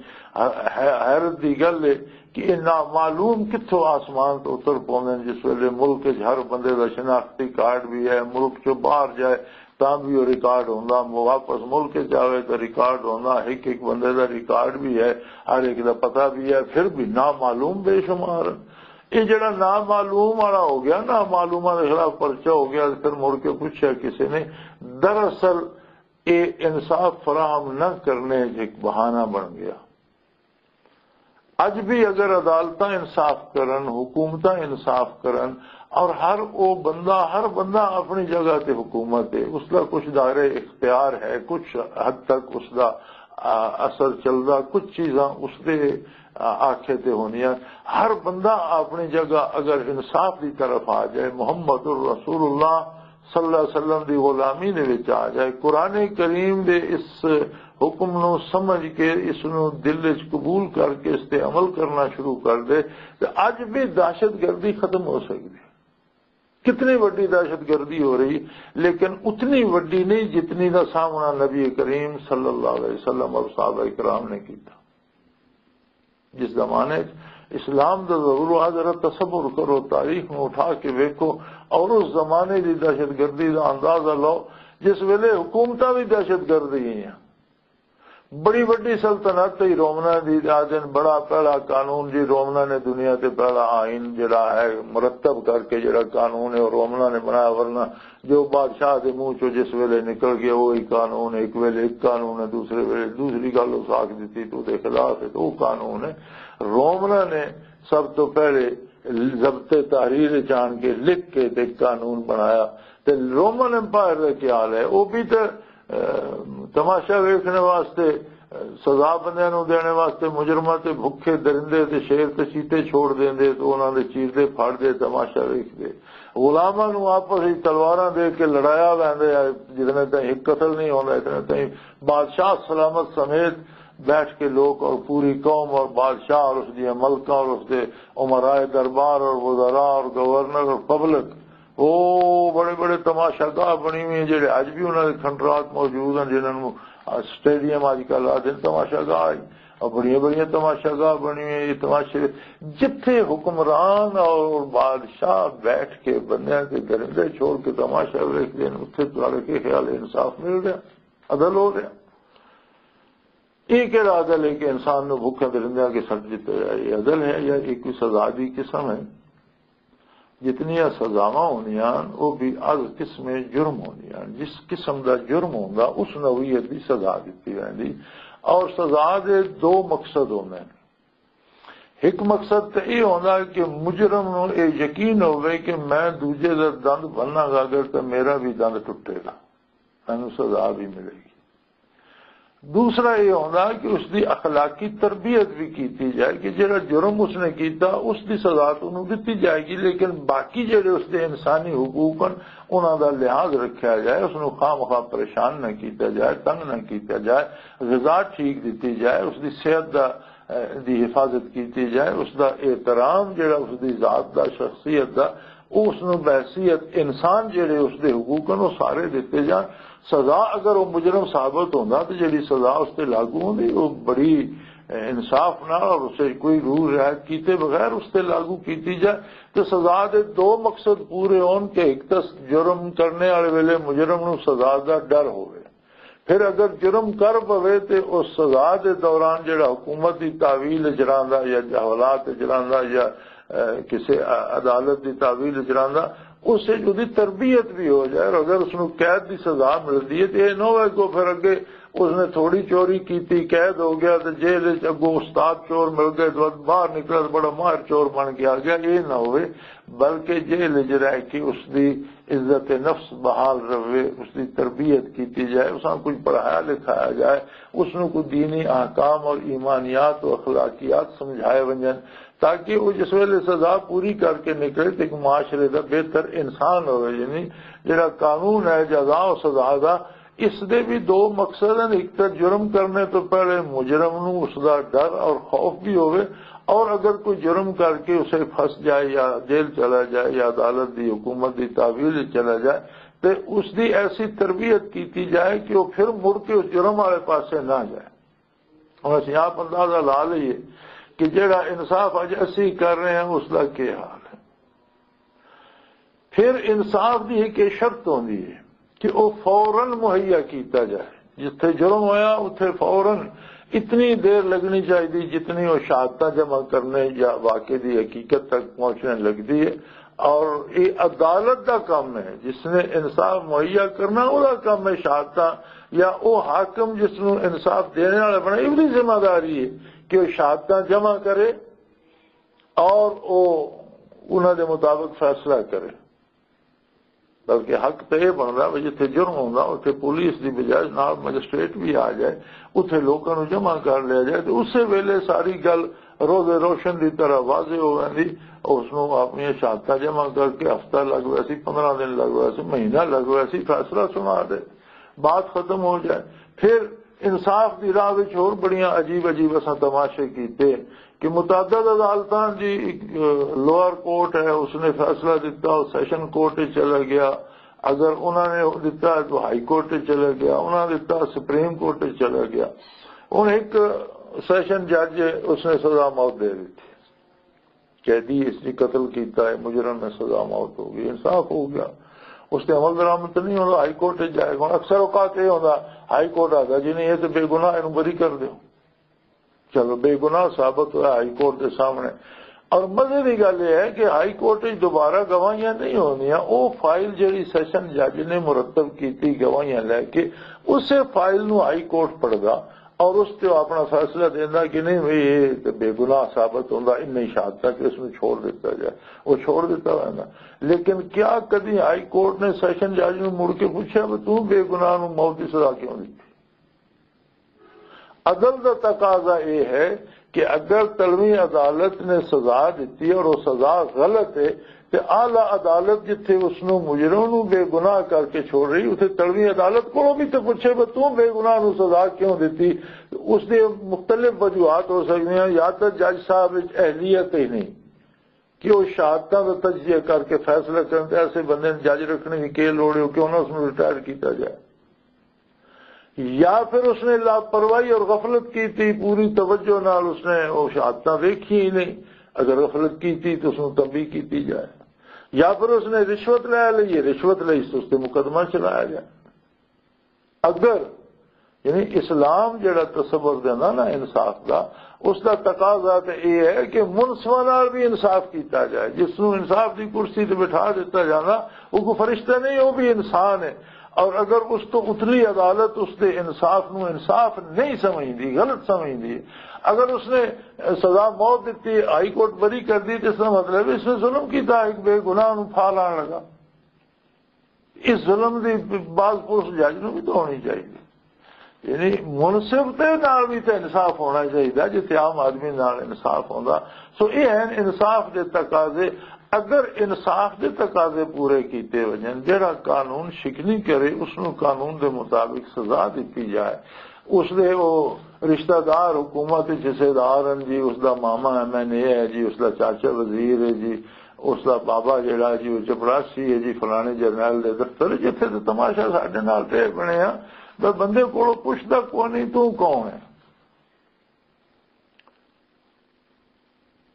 حیرت دی گل ہے کہ یہ نامعلوم کتھوں آسمان تو اتر پوندے نے، جس ویلے ملک وچ ہر بندے دا شناختی کارڈ بھی ہے، ملک چوں باہر جائے تاں بھی وہ ریکارڈ ہوندا، واپس ملک وچ آوے تو ریکارڈ ہوندا، ایک ایک بندے دا ریکارڈ بھی ہے، ہر ایک دا پتہ بھی ہے، پھر بھی نامعلوم بے شمار۔ یہ جڑا نامعلوم والا ہو گیا، نامعلوماں دے خلاف پرچہ ہو گیا، پھر مڑ کے پوچھا کسی نے، دراصل یہ انصاف فراہم نہ کرنے ایک بہانہ بن گیا۔ اج بھی اگر عدالتاں انصاف کرن، حکومتاں انصاف کرن، اور ہر او بندہ، ہر بندہ اپنی جگہ تے حکومت ہے، اس دا کچھ دائرہ اختیار ہے، کچھ حد تک اس دا، آ، اثر چلدا، کچھ چیزاں اس دے، آ، آکھے تے ہونیاں۔ ہر بندہ اپنی جگہ اگر انصاف دی طرف آ جائے، محمد الرسول اللہ صلی اللہ علیہ وسلم دی غلامی دے وچ آ جائے، قرآن کریم دے اس حکم نو سمجھ کے، اس نو دل وچ قبول کر کے، اس تے عمل کرنا شروع کر دے، تے اج بھی دہشت گردی ختم ہو سکدی ہے۔ کتنی وڈی دہشت گردی ہو رہی، لیکن اتنی وڈی نہیں جتنی دا سامنا نبی کریم صلی اللہ علیہ وسلم اور صحابہ کرام نے کیتا۔ جس زمانے چ اسلام دا ظہور ہوا، ذرا تصور کرو، تاریخ نو اٹھا کے ویکھو، اور اس زمانے دی دہشت گردی دا اندازہ لو، جس ویلے حکومتاں بھی دہشت گرد ہی ہیں۔ بڑی وڈی سلطنت تھی رومنا دی، آ دن بڑا پہلا قانون جی، رومنا نے دنیا تے پہلا آئین جڑا ہے مرتب کر کے جڑا قانون ہے، وہ رومنا نے بنایا، ورنہ جو بادشاہ دے منہ چوں جس ویلے نکل گیا، وہی قانون، ایک ویلے ایک قانون ہے، دوسرے ویلے دوسری گل اس آکھ دتی تو دے خلاف ہے، تو وہ قانون ہے۔ رومنا نے سب تو پہلے ضبط تحریر چ آن کے لکھ کے تے قانون بنایا۔ تے رومن امپائر دا کیا حال ہے؟ وہ بھی تے، اہ، تماشا ویکھنے واسطے سزا بندیاں نوں دینے واسطے مجرماں تے بھکھے درندے تے شیر تے چیتے چھوڑ دیندے، تے انہاں دے چیردے، پھڑدے، تماشا ویکھدے۔ غلاماں نوں آپس وچ تلواراں دے کے لڑایا ویندے، جتنے تائیں ایک قتل نہیں ہوندا، اتنے تائیں بادشاہ سلامت سمیت بیٹھ کے لوگ اور پوری قوم اور بادشاہ اور اس دی ملکاں اور اس دے امرائے دربار اور وزراء اور گورنر اور پبلک، او بڑے بڑے تماشا گاہ بنی ہوئی ہیں، جڑے اج بھی انہاں دے کھنڈرات موجود ہیں، جنہاں نوں سٹیڈیم اج کل آدھے تماشا گاہ ہے۔ اور بڑیاں بڑیاں تماشا گاہ بنی ہوئی ہیں۔ یہ تماشے جتھے حکمران اور بادشاہ بیٹھ کے بندیاں کے درندے چھوڑ کے تماشا ویکھدے ہیں، اتھے تہاڈے کے خیال انصاف مل رہا، عدل ہو رہا؟ یہ کہڑا عدل ہے کہ انسان نوں بھوکے درندیاں کے سٹ دتا جائے؟ یہ عدل ہے یا یہ کوئی سزا دی قسم ہے؟ جتنیاں سزاواں ہوندیاں، وہ بھی از قسم جرم ہوندیاں۔ جس قسم دا جرم ہوندا، اس نوعیت دی سزا دتی ویندی۔ اور سزا دے دو مقصد ہوندے نے۔ ایک مقصد تے یہ ہوندا کہ مجرم نوں یہ یقین ہوے کہ میں دوجے دا دند بھننا گا، اگر تے میرا بھی دند ٹوٹے گا، مینوں سزا بھی ملے گی۔ دوسرا یہ ہوندا کہ اس دی اخلاقی تربیت بھی کیتی جائے کہ جڑا جرم اس نے کیتا، اس دی سزا تو انہوں دتی جائے گی، لیکن باقی جڑے اس دے انسانی حقوق ہیں، انہاں دا لحاظ رکھیا جائے، اس نوں خواہ مخواہ پریشان نہ کیتا جائے، تنگ نہ کیتا جائے، غذا ٹھیک دتی جائے، اس دی صحت دا، اے، دی حفاظت کیتی جائے، اس دا احترام جڑا اس دی ذات دا، شخصیت دا، او اس نوں بحیثیت انسان جڑے اس دے حقوق ہیں، وہ سارے دتے جان۔ سزا اگر وہ مجرم ثابت ہوندا تو جڑی سزا اس تے لاگو ہوندی، وہ بڑی، اے، انصاف نال اور اسے کوئی روح رعایت کیتے بغیر اس تے لاگو کیتی جائے۔ تے سزا دے دو مقصد پورے ہون کہ ایک تاں جرم کرنے والے ویلے مجرم نوں سزا دا ڈر ہوے، پھر اگر جرم کر پوے تے اس سزا دے دوران جڑا حکومت دی تحویل اچ رہندا یا حالات اچ رہندا یا، اے، کسے ع-، عدالت دی تحویل اچ رہندا، اس وچ اودی تربیت بھی ہو جائے۔ اور اگر اس نوں قید دی سزا ملدی ہے تے اے نہ ہوئے کہ پھر اگے اس نے تھوڑی چوری کیتی، قید ہو گیا تے جیل وچ اگوں استاد چور مل گئے تے باہر نکلا تے بڑا ماہر چور بن کے آ گیا، اے نہ ہوئے۔ بلکہ جیل وچ رہ کے اس دی عزت نفس بحال رہے، اس دی تربیت کیتی جائے، اس نوں کچھ پڑھایا لکھایا جائے، اس نوں کوئی دینی احکام اور ایمانیات و اخلاقیات سمجھائے ونجن، تاکہ وہ جس ویلے سزا پوری کر کے نکلے تے ایک معاشرے دا بہتر انسان ہوئے۔ یعنی جڑا قانون ہے جزا و سزا دا، اس دے بھی دو مقصد ہیں۔ ایک تو جرم کرنے تو پہلے مجرم نوں اس دا ڈر اور خوف بھی ہوئے، اور اگر کوئی جرم کر کے اسے پھنس جائے یا جیل چلا جائے یا عدالت دی حکومت دی تحویل چلا جائے، تے اس دی ایسی تربیت کیتی جائے کہ وہ پھر مڑ کے اس جرم والے پاسے نہ جائے۔ اور اسی آپ اندازہ لا لئیے کہ جڑا انصاف اج اسی کر رہے ہیں، اس دا کیا حال ہے۔ پھر انصاف دی ایک یہ شرط ہوندی ہے کہ وہ فوراً مہیا کیتا جائے۔ جتھے جرم ہویا، اتھے فوراً اتنی دیر لگنی چاہیے جتنی وہ شہادتاں جمع کرنے یا واقعے دی حقیقت تک پہنچنے لگدی ہے۔ اور یہ عدالت دا کام ہے، جس نے انصاف مہیا کرنا، وہ دا کام ہے شہادتاں، یا وہ حاکم جس نوں انصاف دینے والا بنا، یہ بھی ذمہ داری ہے کہ وہ شہادتاں جمع کرے اور وہ انہاں دے مطابق فیصلہ کرے۔ بلکہ حق تے یہ بندا وے، جتھے جرم ہوندا، اتھے پولیس دی بجائے نال مجسٹریٹ بھی آ جائے، اتھے لوکاں نوں جمع کر لیا جائے، تے اسے ویلے ساری گل روز روشن دی طرح واضح ہو ویندی۔ اس نوں اپنی شہادتاں جمع کر کے ہفتہ لگ ویسی، پندرہ دن لگ ویسی، مہینہ لگ ویسی، فیصلہ سنا دے، بات ختم ہو جائے۔ پھر انصاف دی راہ وچ ہور بڑیاں عجیب عجیب اساں تماشے کیتے کہ متعدد عدالتاں دی، اے، لوئر کورٹ ہے، اس نے فیصلہ دتا، وہ سیشن کورٹ وچ چلا گیا۔ اگر انہاں نے دتا تو ہائی کورٹ وچ چلا گیا، انہاں نے دتا سپریم کورٹ وچ چلا گیا۔ ہن ایک سیشن جج ہے، اس نے سزا موت دے دتی۔ قیدی اس نے قتل کیتا ہے، مجرم میں سزا موت ہو گئی، انصاف ہو گیا۔ اس تے عمل درآمد تو نہیں ہوندا، ہائی کورٹ وچ جائے گا۔ ہن اکثر اوقات یہ ہوندا، ہائی کورٹ آتا جی نہیں، یہ تو بے گناہ، اینوں بری کر دیو۔ چلو، بے گناہ ثابت ہوا ہائی کورٹ دے سامنے۔ اور مزے دی گل یہ ہے کہ ہائی کورٹ وچ دوبارہ گواہیاں نہیں ہوندیاں، وہ فائل جڑی سیشن جج نے مرتب کیتی گواہیاں لے کے، اسے فائل نو ہائی کورٹ پڑھدا اور اس تے اپنا فیصلہ دیندا کہ نہیں بھئی، یہ تے بے گناہ ثابت ہوندا، انہیں شہادتاں کہ اس نو چھوڑ دیتا جائے، وہ چھوڑ دیتا ویندا۔ لیکن کیا کدی ہائی کورٹ نے سیشن جج نو مڑ کے پوچھا بھی توں بے گناہ نو موت دی سزا کیوں دتی؟ عدل دا تقاضا یہ ہے کہ اگر تلویں عدالت نے سزا دتی اور وہ سزا غلط ہے، تے اعلی عدالت جتھے اس نو مجرم نو بے گناہ کر کے چھوڑ رہی، اسے تلویں عدالت کو بھی تو پوچھے، "بس توں بے گناہ نو سزا کیوں دتی؟" اس دے مختلف وجوہات ہو سکدے ہیں، یا تو جج صاحب وچ اہلیت ہی نہیں کہ وہ شہادتاں دا تجزیہ کر کے فیصلہ کرن، تے ایسے بندے نے جج رکھنے کی کی لوڑ ہے، کیوں نہ اس نو ریٹائر کیتا جائے؟ یا پھر اس نے لاپرواہی اور غفلت کی تھی، پوری توجہ نال اس نے وہ شہادتاں ویکھی ہی نہیں۔ اگر غفلت کی تھی تو اس نو تنبیہ کیتی جائے، یا پھر اس نے رشوت لے لی، رشوت لئی تو اس تے مقدمہ چلایا جائے۔ اگر، یعنی، اسلام جڑا تصور دیندا نا انصاف دا، اس دا تقاضا تے یہ ہے کہ منصفاں نال بھی انصاف کیتا جائے۔ جس نو انصاف دی کرسی تے بٹھا دیتا جانا، وہ کوئی فرشتہ نہیں، وہ بھی انسان ہے۔ اور اگر اس تو اتلی عدالت اس دے انصاف نو انصاف نہیں سمجھدی، غلط سمجھدی، اگر اس نے سزا موت دیتی، ہائی کورٹ بری کر دی، تو اس کا مطلب اس نے ظلم کیتا، ایک بے گناہ نو پھا لان لگا۔ اس ظلم دی باز پوسٹ جج نوں وی تو ہونی چاہیے۔ یعنی منصف دے نال وی تے انصاف ہونا چاہیے، جتھے عام آدمی نال انصاف ہوندا۔ سو یہ ہیں انصاف دے تقاضے۔ اگر انصاف دے تقاضے پورے کیتے وجن، جڑا قانون شکنی کرے، اس نوں قانون دے مطابق سزا دتی جائے۔ اس دے او رشتہ دار حکومت وچ حصے دار ہیں جی، اس دا ماما ایم این اے ہے جی، اس دا چاچا وزیر ہے جی، اس دا بابا جڑا جی، وہ چپراسی ہے جی، فلانے جرنیل دے دفتر، جتھے تے تماشا ساڈے نال تے بنیا۔ میں بندے کولوں پوچھدا کوئی نہیں، "توں کون ہے؟"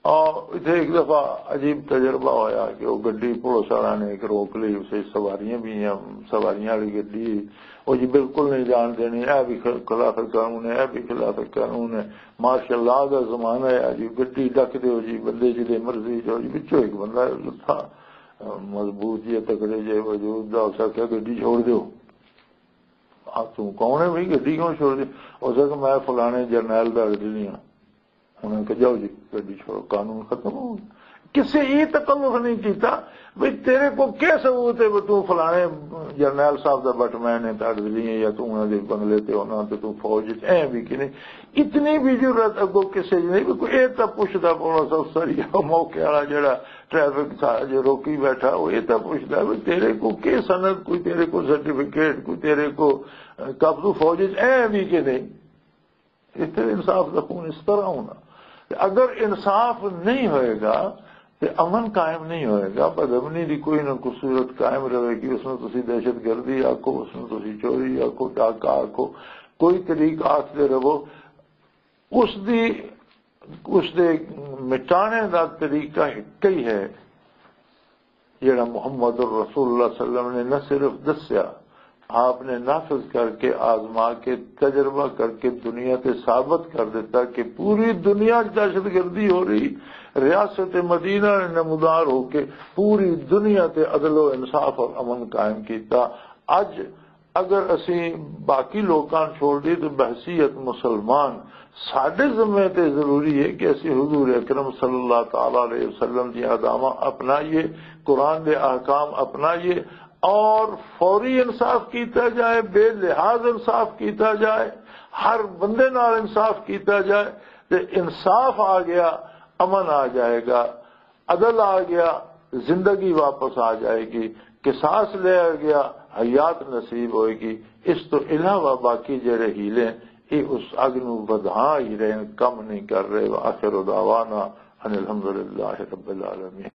آ، اتھے ایک دفعہ عجیب تجربہ ہویا کہ وہ گڈی پولیس والا نے ایک روک لی، اسے سواریاں بھی ہیں، سواریاں والی گڈی، وہ جی بالکل نہیں جان دینی، اے بھی خ-، خلاف قانون ہے، اے بھی خلاف قانون ہے۔ مارشل لا دا زمانہ ہے جی، گڈی ڈک دیو جی، بندے جی دے مرضی جو جی، وچوں ایک بندہ لتھا، مضبوط جی، تکڑے جے وجود دا، اس آکھیا، "گڈی چھوڑ دیو۔" آ، توں کون ہے بھئی، گڈی کیوں چھوڑ دی؟ اس آکھیا، "میں فلانے جرنیل دا اڈلی ہاں۔" انہاں نے کہا، "جاؤ جی، گڈی چھوڑو، قانون ختم ہو گیا۔" کسے یہ تکلف نہیں کیتا بھئی تیرے کو کیا ثبوت ہے وہ توں فلانے جرنیل صاحب دا بٹ مین ہے، تاڑ دلی ہے، یا توں انہاں دے بنگلے تے انہاں تے توں فوج وچ ایں بھی کہ نہیں؟ اتنی بھی ضرورت اگوں کسے دی نہیں۔ بھی کوئی یہ تو پوچھدا پولیس افسر یا موقع والا جڑا ٹریفک تھا جو روکی بیٹھا، وہ یہ تو پوچھدا بھی تیرے کو کی سند، کوئی تیرے کو سرٹیفکیٹ، کوئی تیرے کو، اے، کب تو فوج وچ ایں بھی کہ نہیں؟ اس طرح انصاف دا خون اس طرح ہونا۔ اگر انصاف نہیں ہوئے گا تو امن قائم نہیں ہوئے گا، بدامنی دی کوئی نہ کوئی صورت قائم رہے گی۔ اس میں تسی دہشت گردی آکھو، اس میں تسی چوری آکھو، ڈاکہ آکھو، کوئی طریقہ آکھتے رہو۔ اس دی، اس دے مٹانے دا طریقہ ایک ہی ہے، جڑا محمد الرسول اللہ صلی اللہ علیہ وسلم نے نہ صرف دسیا، آپ نے نافذ کر کے، آزما کے، تجربہ کر کے دنیا تے ثابت کر دیتا کہ پوری دنیا چ دہشت گردی ہو رہی۔ ریاست مدینہ نے نمودار ہو کے پوری دنیا تے عدل و انصاف اور امن قائم کیتا۔ اج اگر اسی باقی لوکاں نوں چھوڑ دئیے تو بحیثیت مسلمان ساڈے ذمے تے ضروری ہے کہ اسی حضور اکرم صلی اللہ تعالی علیہ وسلم دی اداواں اپنائیے، قرآن دے احکام اپنائیے اور فوری انصاف کیتا جائے، بے لحاظ انصاف کیتا جائے، ہر بندے نال انصاف کیتا جائے۔ تے انصاف آ گیا، امن آ جائے گا، عدل آ گیا، زندگی واپس آ جائے گی، قصاص لیا گیا، حیات نصیب ہوئے گی۔ اس تو علاوہ باقی جڑے ہیلے ہیں، یہ اس اگ نو ودھا ہی رہے ہیں، کم نہیں کر رہے۔ وآخر دعوانا ان الحمدللہ رب العالمین۔